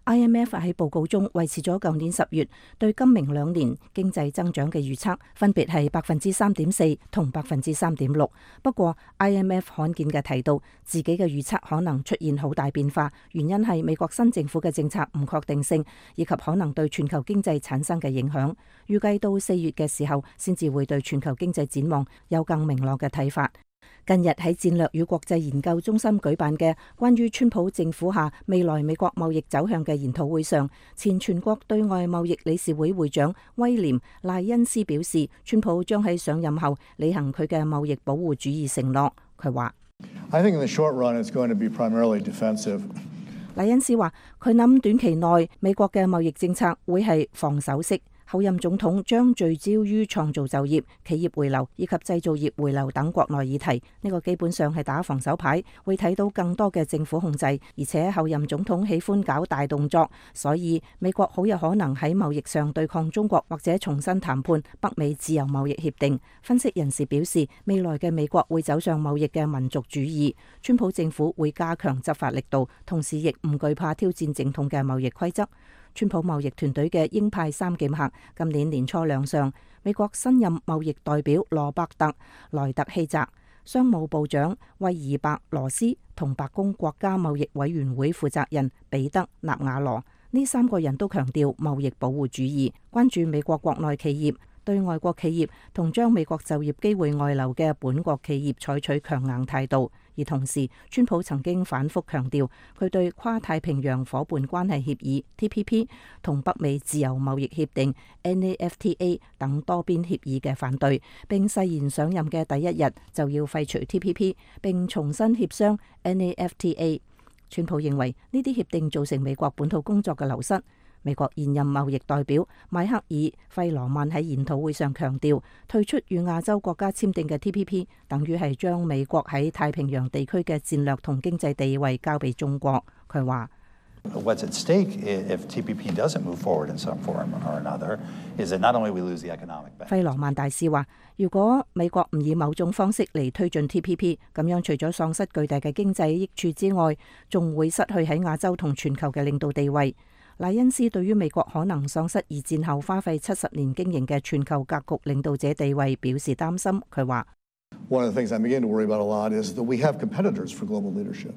I M F 喺報告中維持咗舊年十月對今明兩年經濟增長嘅預測，分別係百分之三點四同百分之三點六。不過 I M F 罕見嘅提到自己嘅預測可能出現好大變化，原因係美國新政府嘅政策唔確定性，以及可能對全球經濟產生嘅影響。預計到四月嘅時候，先至會對全球經濟展望有更明朗嘅睇法。近日喺戰略與國際研究中心舉辦嘅關於川普政府下未來美國貿易走向嘅研討會上，前全國對外貿易理事會會長威廉賴恩斯表示，川普將喺上任後履行佢嘅貿易保護主義承諾。佢話I think in the short run it's going to be primarily defensive. 賴恩斯話佢諗短期內美國嘅貿易政策會係防守式。後任總統將聚焦於創造就業、企業回流以及製造業回流等國內議題。呢個基本上係打防守牌，會睇到更多嘅政府控制。而且後任總統喜歡搞大動作，所以美國好有可能喺貿易上對抗中國，或者重新談判北美自由貿易協定。分析人士表示，未來嘅美國會走上貿易嘅民族主義。川普政府會加強執法力度，同時亦唔懼怕挑戰正統嘅貿易規則。川普貿易團隊嘅鷹派三劍客今年年初亮相，美國新任貿易代表羅伯特萊特希澤、商務部長威爾伯羅斯同白宮國家貿易委員會負責人彼得納瓦羅，呢三個人都強調貿易保護主義，關注美國國內企業對外國企業同將美國就業機會外流嘅本國企業採取強硬態度。而同時，川普曾經反覆強調佢對跨太平洋夥伴關係協議 T P P 同北美自由貿易協定 N A F T A 等多邊協議嘅反對，並誓言上任嘅第一日就要廢除 T P P 並重新協商 N A F T A。川普認為呢啲協定造成美國本土工作嘅流失。美國現任貿易代表邁克爾費羅曼喺研討會上強調，退出與亞洲國家簽訂嘅 T P P 等於係將美國喺太平洋地區嘅戰略同經濟地位交俾中國。佢話：What's at stake if T P P doesn't move forward in some form or another is that not only we lose the economic benefit。費羅曼大使話：如果美國唔以某種方式嚟推進 T P P， 咁樣除咗喪失巨大嘅經濟益處之外，仲會失去喺亞洲同全球嘅領導地位。賴恩斯對於美國可能喪失二戰後花費七十年經營嘅全球格局領導者地位表示擔心。佢話One of the things I'm beginning to worry about a lot is that we have competitors for global leadership.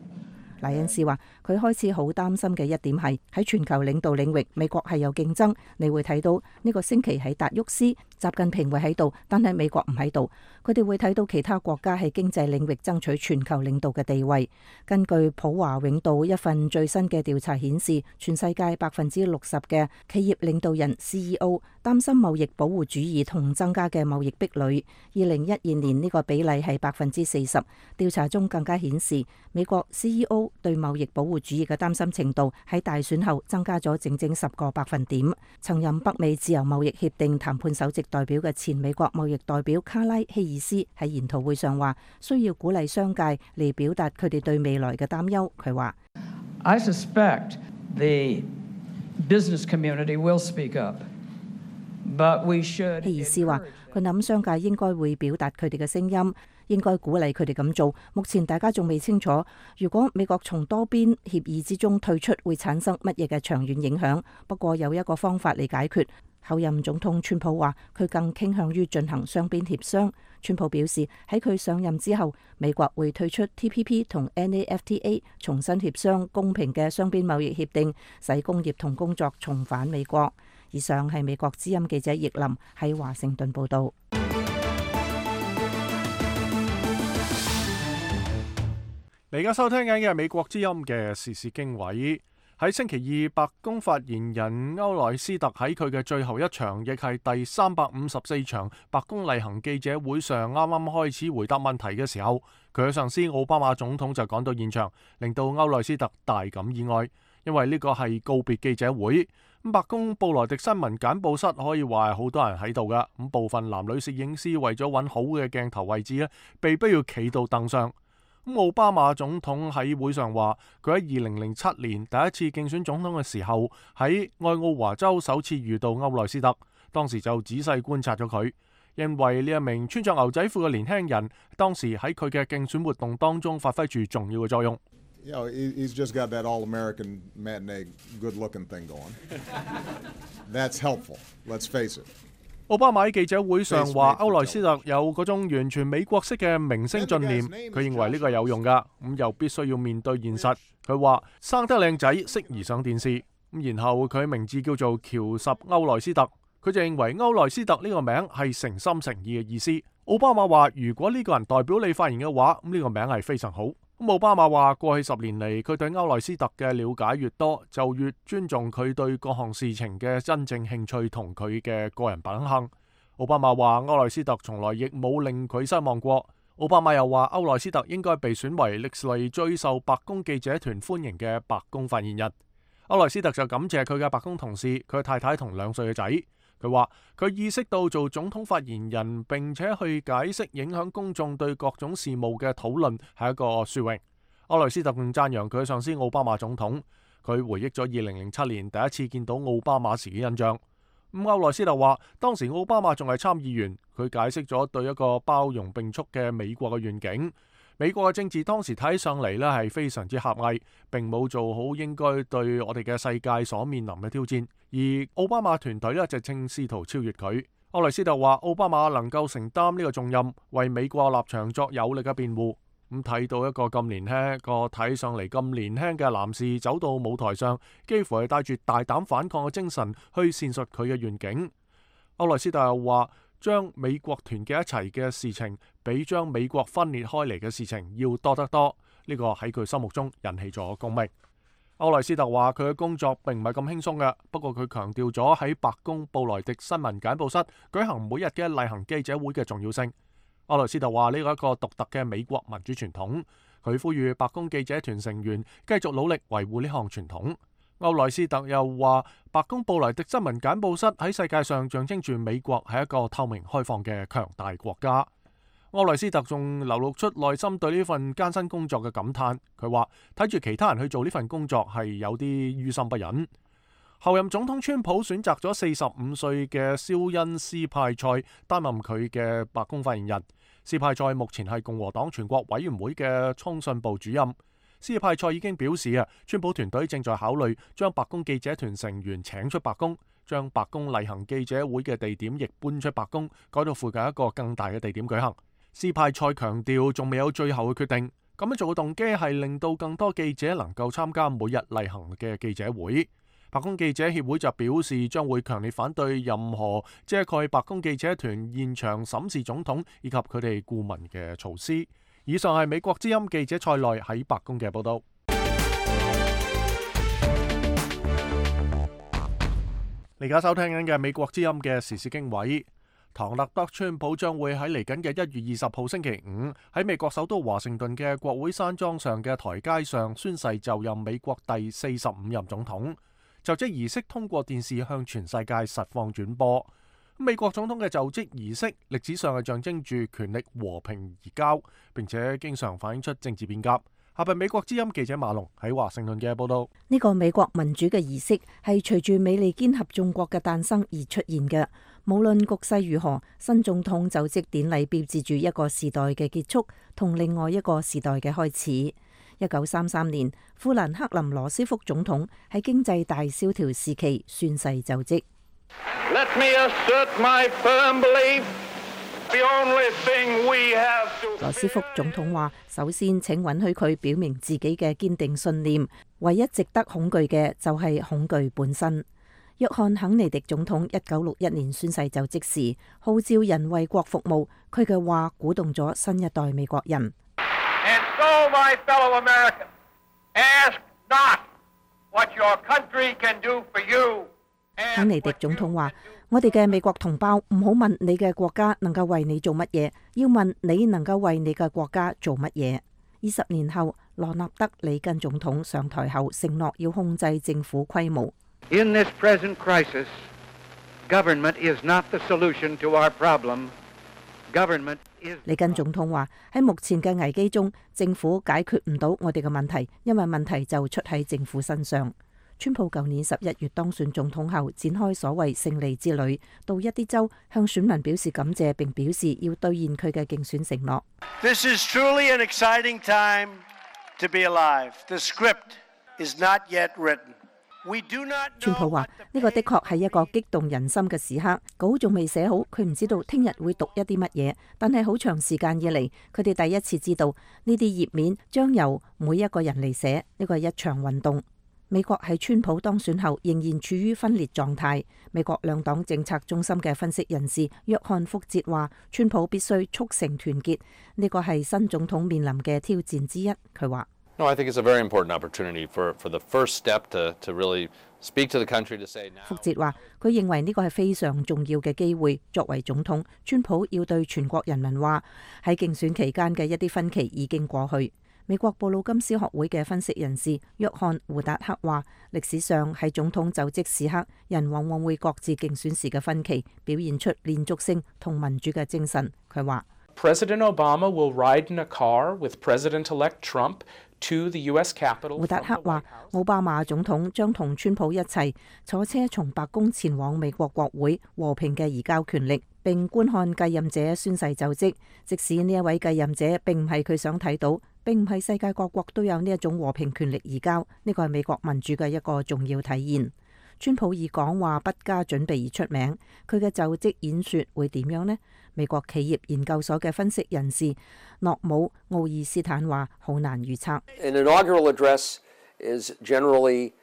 賴恩斯話：佢開始好擔心嘅一點係喺全球領導領域，美國係有競爭。你會睇到呢個星期喺達沃斯，習近平會喺度，但係美國唔喺度。佢哋會睇到其他國家喺經濟領域爭取全球領導嘅地位。根據普華永道一份最新嘅調查顯示，全世界百分之六十嘅企業領導人 C E O 擔心貿易保護主義同增加嘅貿易壁壘。二零一二年呢個比例係百分之四十。調查中更加顯示，美國 C E O對貿易保護主義嘅擔心程度喺大選後增加咗整整十個百分點。曾任北美自由貿易協定談判首席代表嘅前美國貿易代表卡拉希爾斯喺研討會上話，需要鼓勵商界嚟表達佢哋對未來嘅擔憂。佢話I suspect the business community will speak up, but we should。希爾斯話，佢諗商界應該會表達佢哋嘅聲音。應該鼓勵佢哋咁做。目前大家仲未清楚，如果美國從多邊協議之中退出，會產生乜嘢嘅長遠影響。不過有一個方法嚟解決。後任總統川普話，佢更傾向於進行雙邊協商。川普表示，喺佢上任之後，美國會退出 T P P 同 N A F T A， 重新協商公平嘅雙邊貿易協定，使工業同工作重返美國。以上係美國之音記者葉林喺華盛頓報導。你而家收聽緊嘅係美國之音嘅時事經緯。喺星期二，白宮發言人歐萊斯特喺佢嘅最後一場，亦係第三百五十四場白宮例行記者會上，啱啱開始回答問題嘅時候，佢嘅上司奧巴馬總統就趕到現場，令到歐萊斯特大感意外，因為呢個係告別記者會。咁白宮布萊迪新聞簡報室可以話係好多人喺度噶，咁部分男女攝影師為咗揾好嘅鏡頭位置咧，被迫要企到凳上。咁奧巴馬總統喺會上話，佢喺二零零七年第一次競選總統嘅時候，喺愛奧華州首次遇到歐萊斯特，當時就仔細觀察咗佢，因為呢一名穿着牛仔褲嘅年輕人，當時喺佢嘅競選活動當中發揮住重要嘅作用。You know, he's just got that all-American matinee good-looking thing going. That's helpful. Let's face it. 奧巴馬喺記者會上話，歐萊斯特有嗰種完全美國式嘅明星信念，佢認為呢個有用噶，咁又必須要面對現實。佢話生得靚仔適宜上電視，咁然後佢名字叫做喬什歐萊斯特，佢就認為歐萊斯特呢個名係誠心誠意嘅意思。奧巴馬話，如果呢個人代表你發言嘅話，咁呢個名係非常好。咁奧巴馬話，過去十年嚟，佢對歐萊斯特嘅了解越多，就越尊重佢對各項事情嘅真正興趣同佢嘅個人品行。奧巴馬話，歐萊斯特從來亦冇令佢失望過。奧巴馬又話，歐萊斯特應該被選為歷嚟最受白宮記者團歡迎嘅白宮發言人。歐萊斯特就感謝佢嘅白宮同事、佢嘅太太同兩歲嘅仔。佢話佢意識到做總統發言人並且去解釋影響公眾對各種事務嘅討論係一個殊榮。歐萊斯特仲讚揚佢嘅上司奧巴馬總統。佢回憶咗二零零七年第一次見到奧巴馬時嘅印象。咁歐萊斯特話，當時奧巴馬仲係參議員，佢解釋咗對一個包容並蓄嘅美國嘅願景。美國嘅政治當時睇上嚟呢係非常之狹隘，並冇做好應該對我哋嘅世界所面臨嘅挑戰。而奧巴馬團隊呢就正試圖超越佢。歐萊斯特話，奧巴馬能夠承擔呢個重任，為美國立場作有力嘅辯護。咁睇到一個咁年輕、個睇上嚟咁年輕嘅男士走到舞台上，幾乎係帶住大膽反抗嘅精神去闡述佢嘅願景。歐萊斯特又話，將美國團結一齊嘅事情，比將美國分裂開嚟嘅事情要多得多。呢個喺佢心目中引起咗共鳴。歐萊斯特話，佢嘅工作並唔係咁輕鬆嘅，不過佢強調咗喺白宮布萊迪新聞簡報室舉行每日嘅例行記者會嘅重要性。歐萊斯特話，呢個係一個獨特嘅美國民主傳統，佢呼籲白宮記者團成員繼續努力維護呢項傳統。歐萊斯特又話，白宮布萊迪新聞簡報室喺世界上象徵住美國係一個透明開放嘅強大國家。歐萊斯特仲流露出內心對呢份艱辛工作嘅感嘆，佢話睇住其他人去做呢份工作係有啲於心不忍。後任總統川普選擇咗四十五歲嘅肖恩斯派塞擔任佢嘅白宮發言人。斯派塞目前係共和黨全國委員會嘅通訊部主任。斯派塞已經表示啊，川普團隊正在考慮將白宮記者團成員請出白宮，將白宮例行記者會嘅地點亦搬出白宮，改到附近一個更大嘅地點舉行。斯派塞強調仲未有最後嘅決定，咁樣做嘅動機係令到更多記者能夠參加每日例行嘅記者會。白宮記者協會就表示將會強烈反對任何遮蓋白宮記者團現場審視總統以及佢哋顧問嘅措施。以上係美國之音記者蔡內喺白宮嘅報道。你而家收聽緊嘅美國之音嘅時事經緯，唐納德川普將會喺嚟緊嘅一月二十號星期五喺美國首都華盛頓嘅國會山莊上嘅台階上宣誓就任美國第四十五任總統。就職儀式通過電視向全世界實況轉播。美國總統嘅就職儀式歷史上係象徵住權力和平移交，並且經常反映出政治變革。下邊美國之音記者馬龍喺華盛頓嘅報道。呢個美國民主嘅儀式係隨住美利堅合眾國嘅誕生而出現嘅。無論局勢如何，新總統就職典禮標誌住一個時代嘅結束同另外一個時代嘅開始。一九三三年，富蘭克林羅斯福總統喺經濟大蕭條時期宣誓就職。Let me assert my firm belief, the only thing we have to... 羅斯福總統話：首先請允許佢表明自己嘅堅定信念，唯一值得恐懼嘅就係恐懼本身。約翰肯尼迪總統一九六一年宣誓就職時，號召人為國服務，佢嘅話鼓動咗新一代美國人。And so, my fellow Americans, ask not what your country can do for you. 肯尼迪總統話：我哋嘅美國同胞唔好問你嘅國家能夠為你做乜嘢，要問你能夠為你嘅國家做乜嘢。二十年後，羅納德里根總統上台後承諾要控制政府規模。In this present crisis, government is not the solution to our problem. Government is... 里根總統話：喺目前嘅危機中，政府解決唔到我哋嘅問題，因為問題就出喺政府身上。川普舊年十一月當選總統後，展開所謂勝利之旅，到一啲州向選民表示感謝，並表示要兌現佢嘅競選承諾。This is truly an exciting time to be alive. The script is not yet written. We do not know... 川普話：呢個的確係一個激動人心嘅時刻，稿仲未寫好，佢唔知道聽日會讀一啲乜嘢，但係好長時間以嚟，佢哋第一次知道呢啲頁面將由每一個人嚟寫，呢個係一場運動。美國喺川普當選後仍然處於分裂狀態。美國兩黨政策中心嘅分析人士約翰福哲話：川普必須促成團結，呢個係新總統面臨嘅挑戰之一。佢話：No, I think it's a very important opportunity for for the first step to to really speak to the country to say now. 福哲話：佢認為呢個係非常重要嘅機會。作為總統，川普要對全國人民話，喺競選期間嘅一啲分歧已經過去。美國布魯金斯學會嘅分析人士約翰胡達克話：歷史上喺總統就職時刻，人往往會各自競選時嘅分歧，表現出連續性同民主嘅精神。佢話 President Obama will ride in a car with President-elect Trump to the U S Capitol。 胡達克話：奧巴馬總統將同川普一齊坐車從白宮前往美國國會，和平嘅移交權力，並觀看繼任者宣誓就職。即使呢一位繼任者並唔係佢想睇到，並唔係世界各國都有呢一種和平權力移交，呢個係美國民主嘅一個重要體現。川普以講話不加準備而出名，佢嘅就職演說會點樣呢？美國企業研究所嘅分析人士諾姆奧爾斯坦話：好難預測。An inaugural address is generally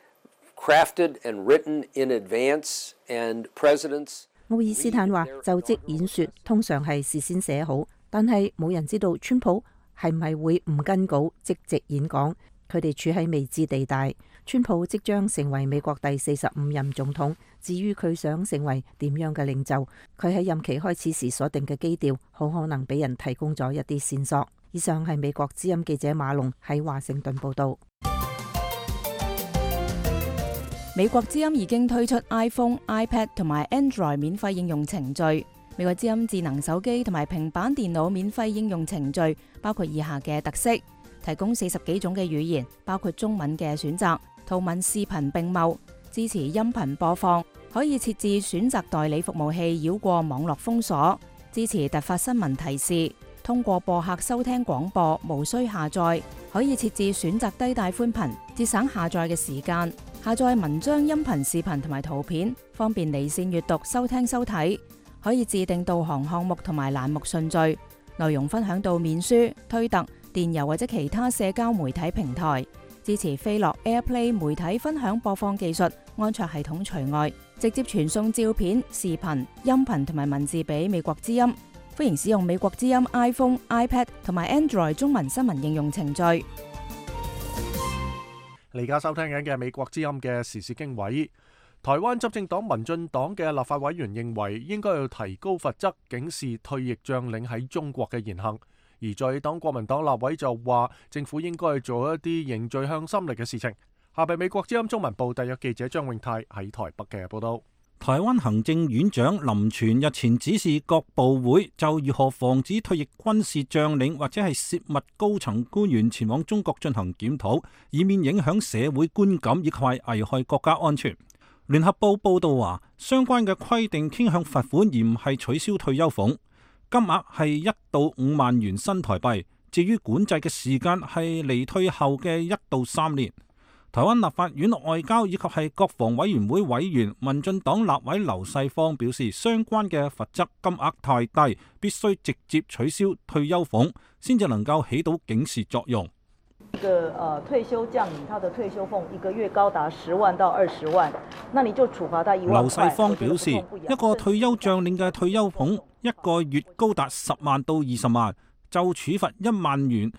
crafted and written in advance, and presidents... 奧爾斯坦話：就職演說通常係事先寫好，但係冇人知道川普係唔係會唔跟稿即席演講。佢哋處喺未知地帶。川普即將成為美國第四十五任總統，至於佢想成為點樣嘅領袖，佢喺任期開始時所定嘅基調，好可能俾人提供咗一啲線索。以上係美國之音記者馬龍喺華盛頓報道。美國之音已經推出 iPhone、iPad 同埋 Android 免費應用程序。美國之音智能手機同埋平板電腦免費應用程序包括以下嘅特色：提供四十幾種嘅語言，包括中文嘅選擇，圖文視頻並茂，支持音頻播放，可以設置選擇代理服務器繞過網絡封鎖，支持突發新聞提示，通過播客收聽廣播，無需下載，可以設置選擇低帶寬頻，節省下載嘅時間。下載文章、音頻、視頻同埋圖片，方便離線閱讀、收聽、收睇。可以自定導航項目同埋欄目順序，內容分享到面書、推特、電郵或者其他社交媒體平台。支持飛樂 AirPlay 媒體分享播放技術，安卓系統除外，直接傳送照片、視頻、音頻同埋文字俾美國之音。歡迎使用美國之音 iPhone、iPad 同埋 Android 中文新聞應用程序。你而家收聽緊嘅美國之音嘅時事經緯。台灣執政黨民進黨嘅立法委員認為，應該要提高罰則，警示退役將領喺中國嘅言行。而在黨國民黨立委就話，政府應該做一啲凝聚向心力嘅事情。下邊美國之音中文部特約記者張永泰喺台北嘅報道。台灣行政院長林全日前指示各部會就如何防止退役軍事將領或者係涉密高層官員前往中國進行檢討，以免影響社會觀感以及危害國家安全。聯合報報道話，相關嘅規定傾向罰款，而唔係取消退休俸，金額係一到五萬元新台幣。至於管制嘅時間係離退後嘅一到三年。台灣立法院外交以及係國防委員會委員民進黨立委劉世芳表示，相關嘅罰則金額太低，必須直接取消退休俸，先至能夠起到警示作用。一個呃退休將領，他的退休俸一個月高達十萬到二十萬，那你就處罰他一萬塊。劉世芳表示，一個退休將領嘅退休俸一個月高達十萬到二十萬，就處罰一萬元，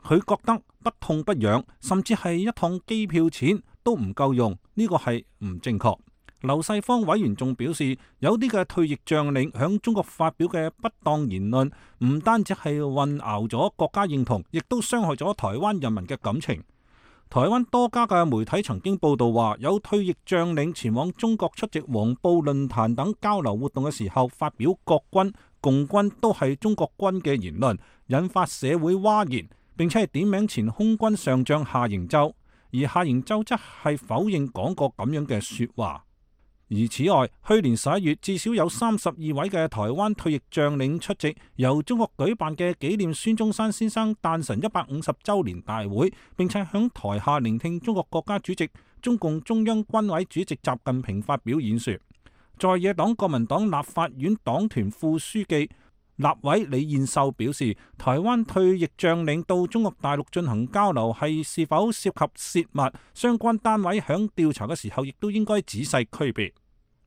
佢覺得不痛不癢，甚至係一趟機票錢都唔夠用，呢個係唔正確。劉世芳委員仲表示，有啲嘅退役將領響中國發表嘅不當言論，唔單止係混淆咗國家認同，亦都傷害咗台灣人民嘅感情。台灣多家嘅媒體曾經報道話，有退役將領前往中國出席黃埔論壇等交流活動嘅時候，發表國軍、共軍都係中國軍嘅言論，引發社會譁然，並且係點名前空軍上將夏營洲，而夏營洲則係否認講過咁樣嘅說話。而此外，去年十一月至少有三十二位嘅台灣退役將領出席由中國舉辦嘅紀念孫中山先生誕辰一百五十周年大會，並且響台下聆聽中國國家主席、中共中央軍委主席習近平發表演說。在野黨國民黨立法院黨團副書記、立委李彥秀表示，台灣退役將領到中國大陸進行交流係是，是否涉及泄密，相關單位響調查嘅時候亦都應該仔細區別。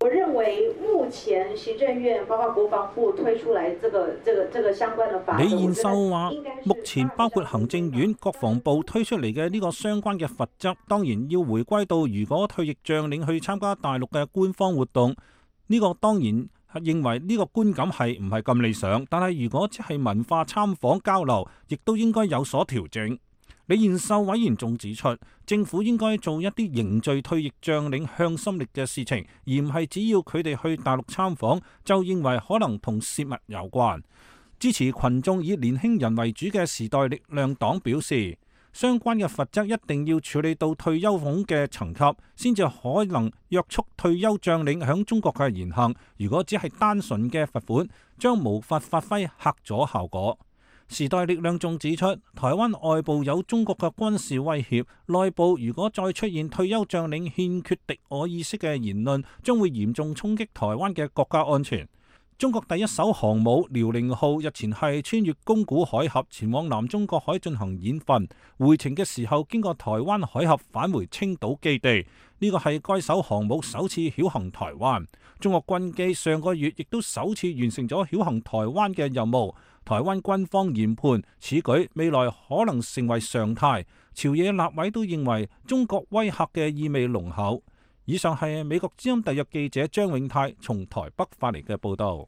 我認為目前行政院包括國防部推出來這個、這個、這個相關的法。李彥秀話，目前包括行政院、國防部推出嚟嘅呢個相關嘅罰則，當然要回歸到如果退役將領去參加大陸嘅官方活動，呢、這個當然。認為呢個觀感係唔係咁理想，但係如果只係文化參訪交流，亦都應該有所調整。李彥秀委員仲指出，政府應該做一啲凝聚退役將領向心力嘅事情，而唔係只要佢哋去大陸參訪就認為可能同泄密有關。支持群眾以年輕人為主嘅時代力量黨表示，相關嘅罰則一定要處理到退休俸嘅層級，先至可能約束退休將領響中國嘅言行。如果只係單純嘅罰款，將無法發揮嚇阻效果。時代力量仲指出，台灣外部有中國嘅軍事威脅，內部如果再出現退休將領欠缺敵我意識嘅言論，將會嚴重衝擊台灣嘅國家安全。中國第一艘航母遼寧號日前係穿越宮古海峽前往南中國海進行演訓，回程嘅時候經過台灣海峽返回青島基地。呢個係該艘航母首次曉行台灣。中國軍機上個月亦都首次完成咗曉行台灣嘅任務。台灣軍方研判此舉未來可能成為常態。朝野立委都認為中國威嚇嘅意味濃厚。以上係美國之音特約記者張永泰從台北發嚟嘅報道。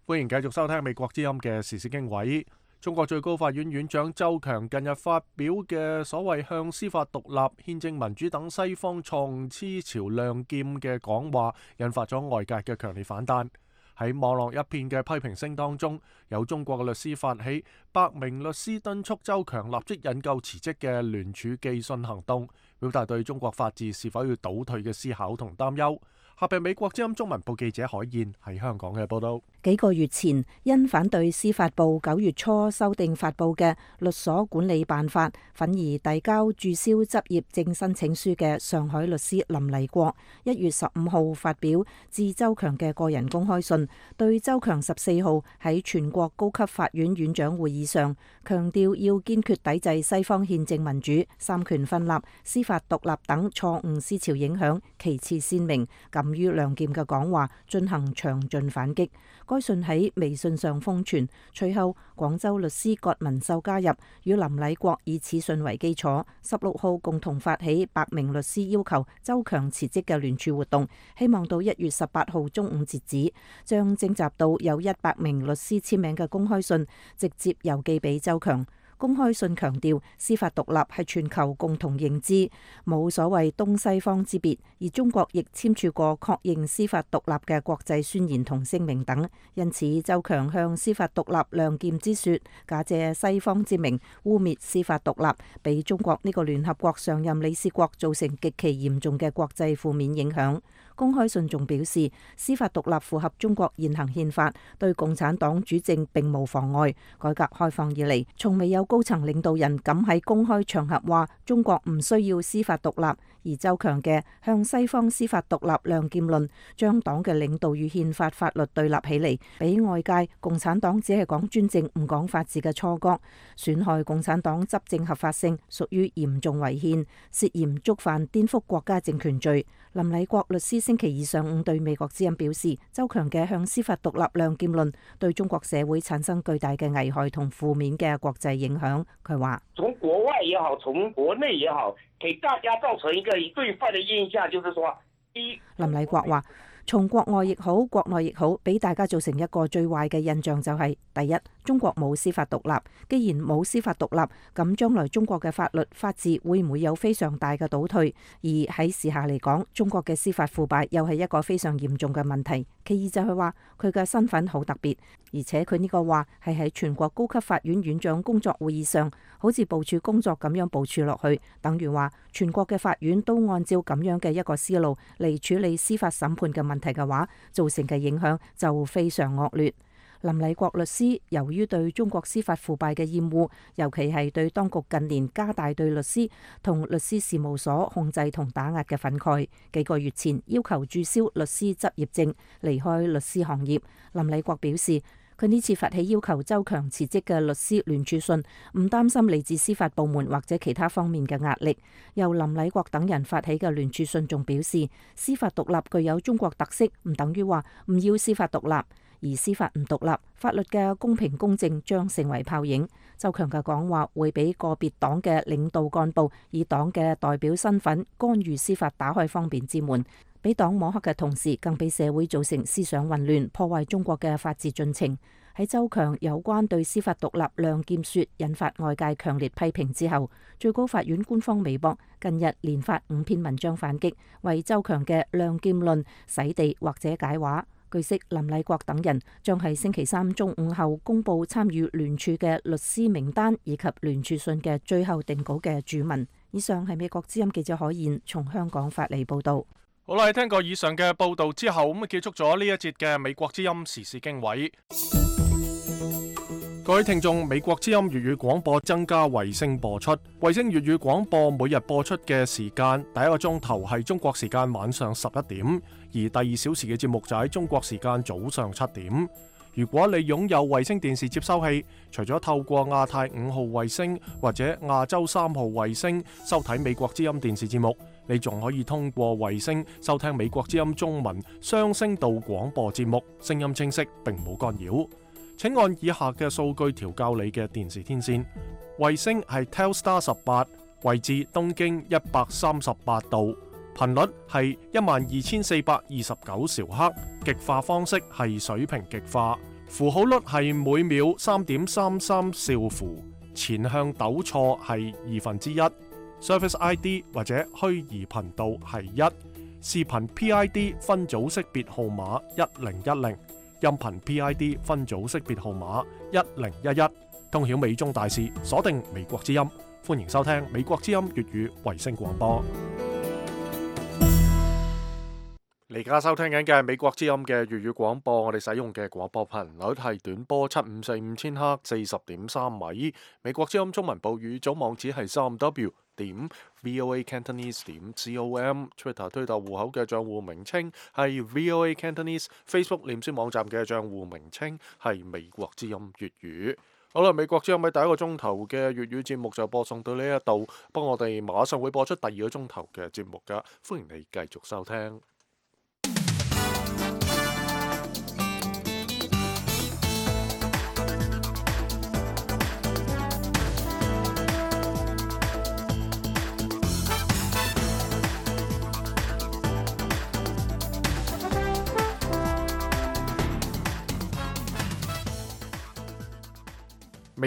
歡迎繼續收聽美國之音嘅時事經緯。中國最高法院院長周強近日發表嘅所謂向司法獨立、憲政民主等西方錯誤思潮亮劍嘅講話，引發咗外界嘅強烈反彈。喺網絡一片嘅批評聲當中，有中國嘅律師發起百名律師敦促周強立即引咎辭職嘅聯署寄信行動，表達對中國法治是否要倒退嘅思考同擔憂。下邊美國之音中文部記者海燕喺香港嘅報道。幾個月前，因反對司法部九月初修訂發布嘅律所管理辦法，憤而遞交註銷執業證申請書嘅上海律師林麗國，一月十五號發表致周強嘅個人公開信，對周強十四號喺全國高級法院院長會議上強調要堅決抵制西方憲政民主、三權分立、司法獨立等錯誤思潮影響，旗幟鮮明、敢於亮劍嘅講話，進行詳盡反擊。該信喺微信上瘋傳，隨後廣州律師葛文秀加入，與林禮國以此信為基礎，十六號共同發起百名律師要求周強辭職嘅聯署活動，希望到一月十八號中午截止，將徵集到有一百名律師簽名嘅公開信直接郵寄俾周強。公開信強調司法獨立係全球共同認知，冇所謂東西方之別，而中國亦簽署過確認司法獨立嘅國際宣言同聲明等。因此，周強向司法獨立亮劍之說，假借西方之名污蔑司法獨立，俾中國呢個聯合國常任理事國造成極其嚴重嘅國際負面影響。公開信仲表示，司法獨立符合中國現行憲法，對共產黨主政並無妨礙。改革開放以嚟，從未有高層領導人敢喺公開場合話中國唔需要司法獨立。而周強嘅向西方司法獨立亮劍論，將黨嘅領導與憲法法律對立起嚟，俾外界共產黨只係講專政唔講法治嘅錯覺，損害共產黨執政合法性，屬於嚴重違憲，涉嫌觸犯顛覆國家政權罪。林禮國律師星期二上午對美國之音表示，周強嘅向司法獨立亮劍論對中國社會產生巨大嘅危害同負面嘅國際影響。佢話：從國外也好，從國內也好，給大家造成一個對壞的印象，就是說，一林禮國話，從國外亦好，國內亦好，俾大家造成一個最壞嘅印象就係、是，第一，中國冇司法獨立。既然冇司法獨立，咁將來中國嘅法律法治會唔會有非常大嘅倒退？而喺時下嚟講，中國嘅司法腐敗又係一個非常嚴重嘅問題。其二就係話佢嘅身份好特別，而且佢呢個話係喺全國高級法院院長工作會議上，好似部署工作咁樣部署落去，等於話全國嘅法院都按照咁樣嘅一個思路嚟處理司法審判嘅問題嘅話，造成嘅影響就非常惡劣。林禮國律師由於對中國司法腐敗嘅厭惡，尤其係對當局近年加大對律師同律師事務所控制同打壓嘅憤慨，幾個月前要求註銷律師執業證，離開律師行業。林禮國表示，佢呢次發起要求周強辭職嘅律師聯署信，唔擔心嚟自司法部門或者其他方面嘅壓力。由林禮國等人發起嘅聯署信仲表示，司法獨立具有中國特色，唔等於話唔要司法獨立。而司法唔獨立，法律嘅公平公正將成為泡影。周強嘅講話會俾個別黨嘅領導幹部以黨嘅代表身份干預司法，打開方便之門，俾黨摸黑嘅同時，更俾社會造成思想混亂，破壞中國嘅法治進程。喺周強有關對司法獨立亮劍說引發外界強烈批評之後，最高法院官方微博近日連發五篇文章反擊，為周強嘅亮劍論洗地或者解話。據悉，林禮國等人將喺星期三中午後公布參與聯署嘅律師名單以及聯署信嘅最後定稿嘅注文。以上係美國之音記者海燕從香港發嚟報道。好啦，聽過以上嘅報道之後，咁結束咗呢一節嘅美國之音時事經緯。各位聽眾，美國之音粵語廣播增加衛星播出，衛星粵語廣播每日播出嘅時間，第一個鐘頭係中國時間晚上十一點，而第二小時嘅節目就喺中國時間早上七點。如果你擁有衛星電視接收器，除咗透過亞太五號衛星或者亞洲三號衛星收睇美國之音電視節目，你仲可以通過衛星收聽美國之音中文雙聲道廣播節目，聲音清晰並冇干擾。請按以下嘅數據調校你嘅電視天線。衛星係 Telstar 十八，位置東經一百三十八度，頻率係一萬二千四百二十九兆赫，極化方式係水平極化，符號率係每秒三點三三兆符，前向抖錯係二分之一，Service I D 或者虛擬頻道係一，視頻 P I D 分組識別號碼一零一零。音頻 P I D 分組識別號碼一零一一，通曉美中大事，鎖定美國之音，歡迎收聽美國之音粵語衛星廣播。你而家收聽緊嘅係美國之音嘅粵語廣播，我哋使用嘅廣播頻率係短波七五四五千赫四十點三米。美國之音中文部語組網址係三 w 點 voa cantonese 點 com，Twitter 推特戶口嘅賬戶名稱係 voa cantonese，Facebook 臉書網站嘅賬戶名稱係美國之音粵語。好啦，美國之音喺第一個鐘頭嘅粵語節目就播送到呢一度，不過我哋馬上會播出第二個鐘頭嘅節目㗎，歡迎你繼續收聽。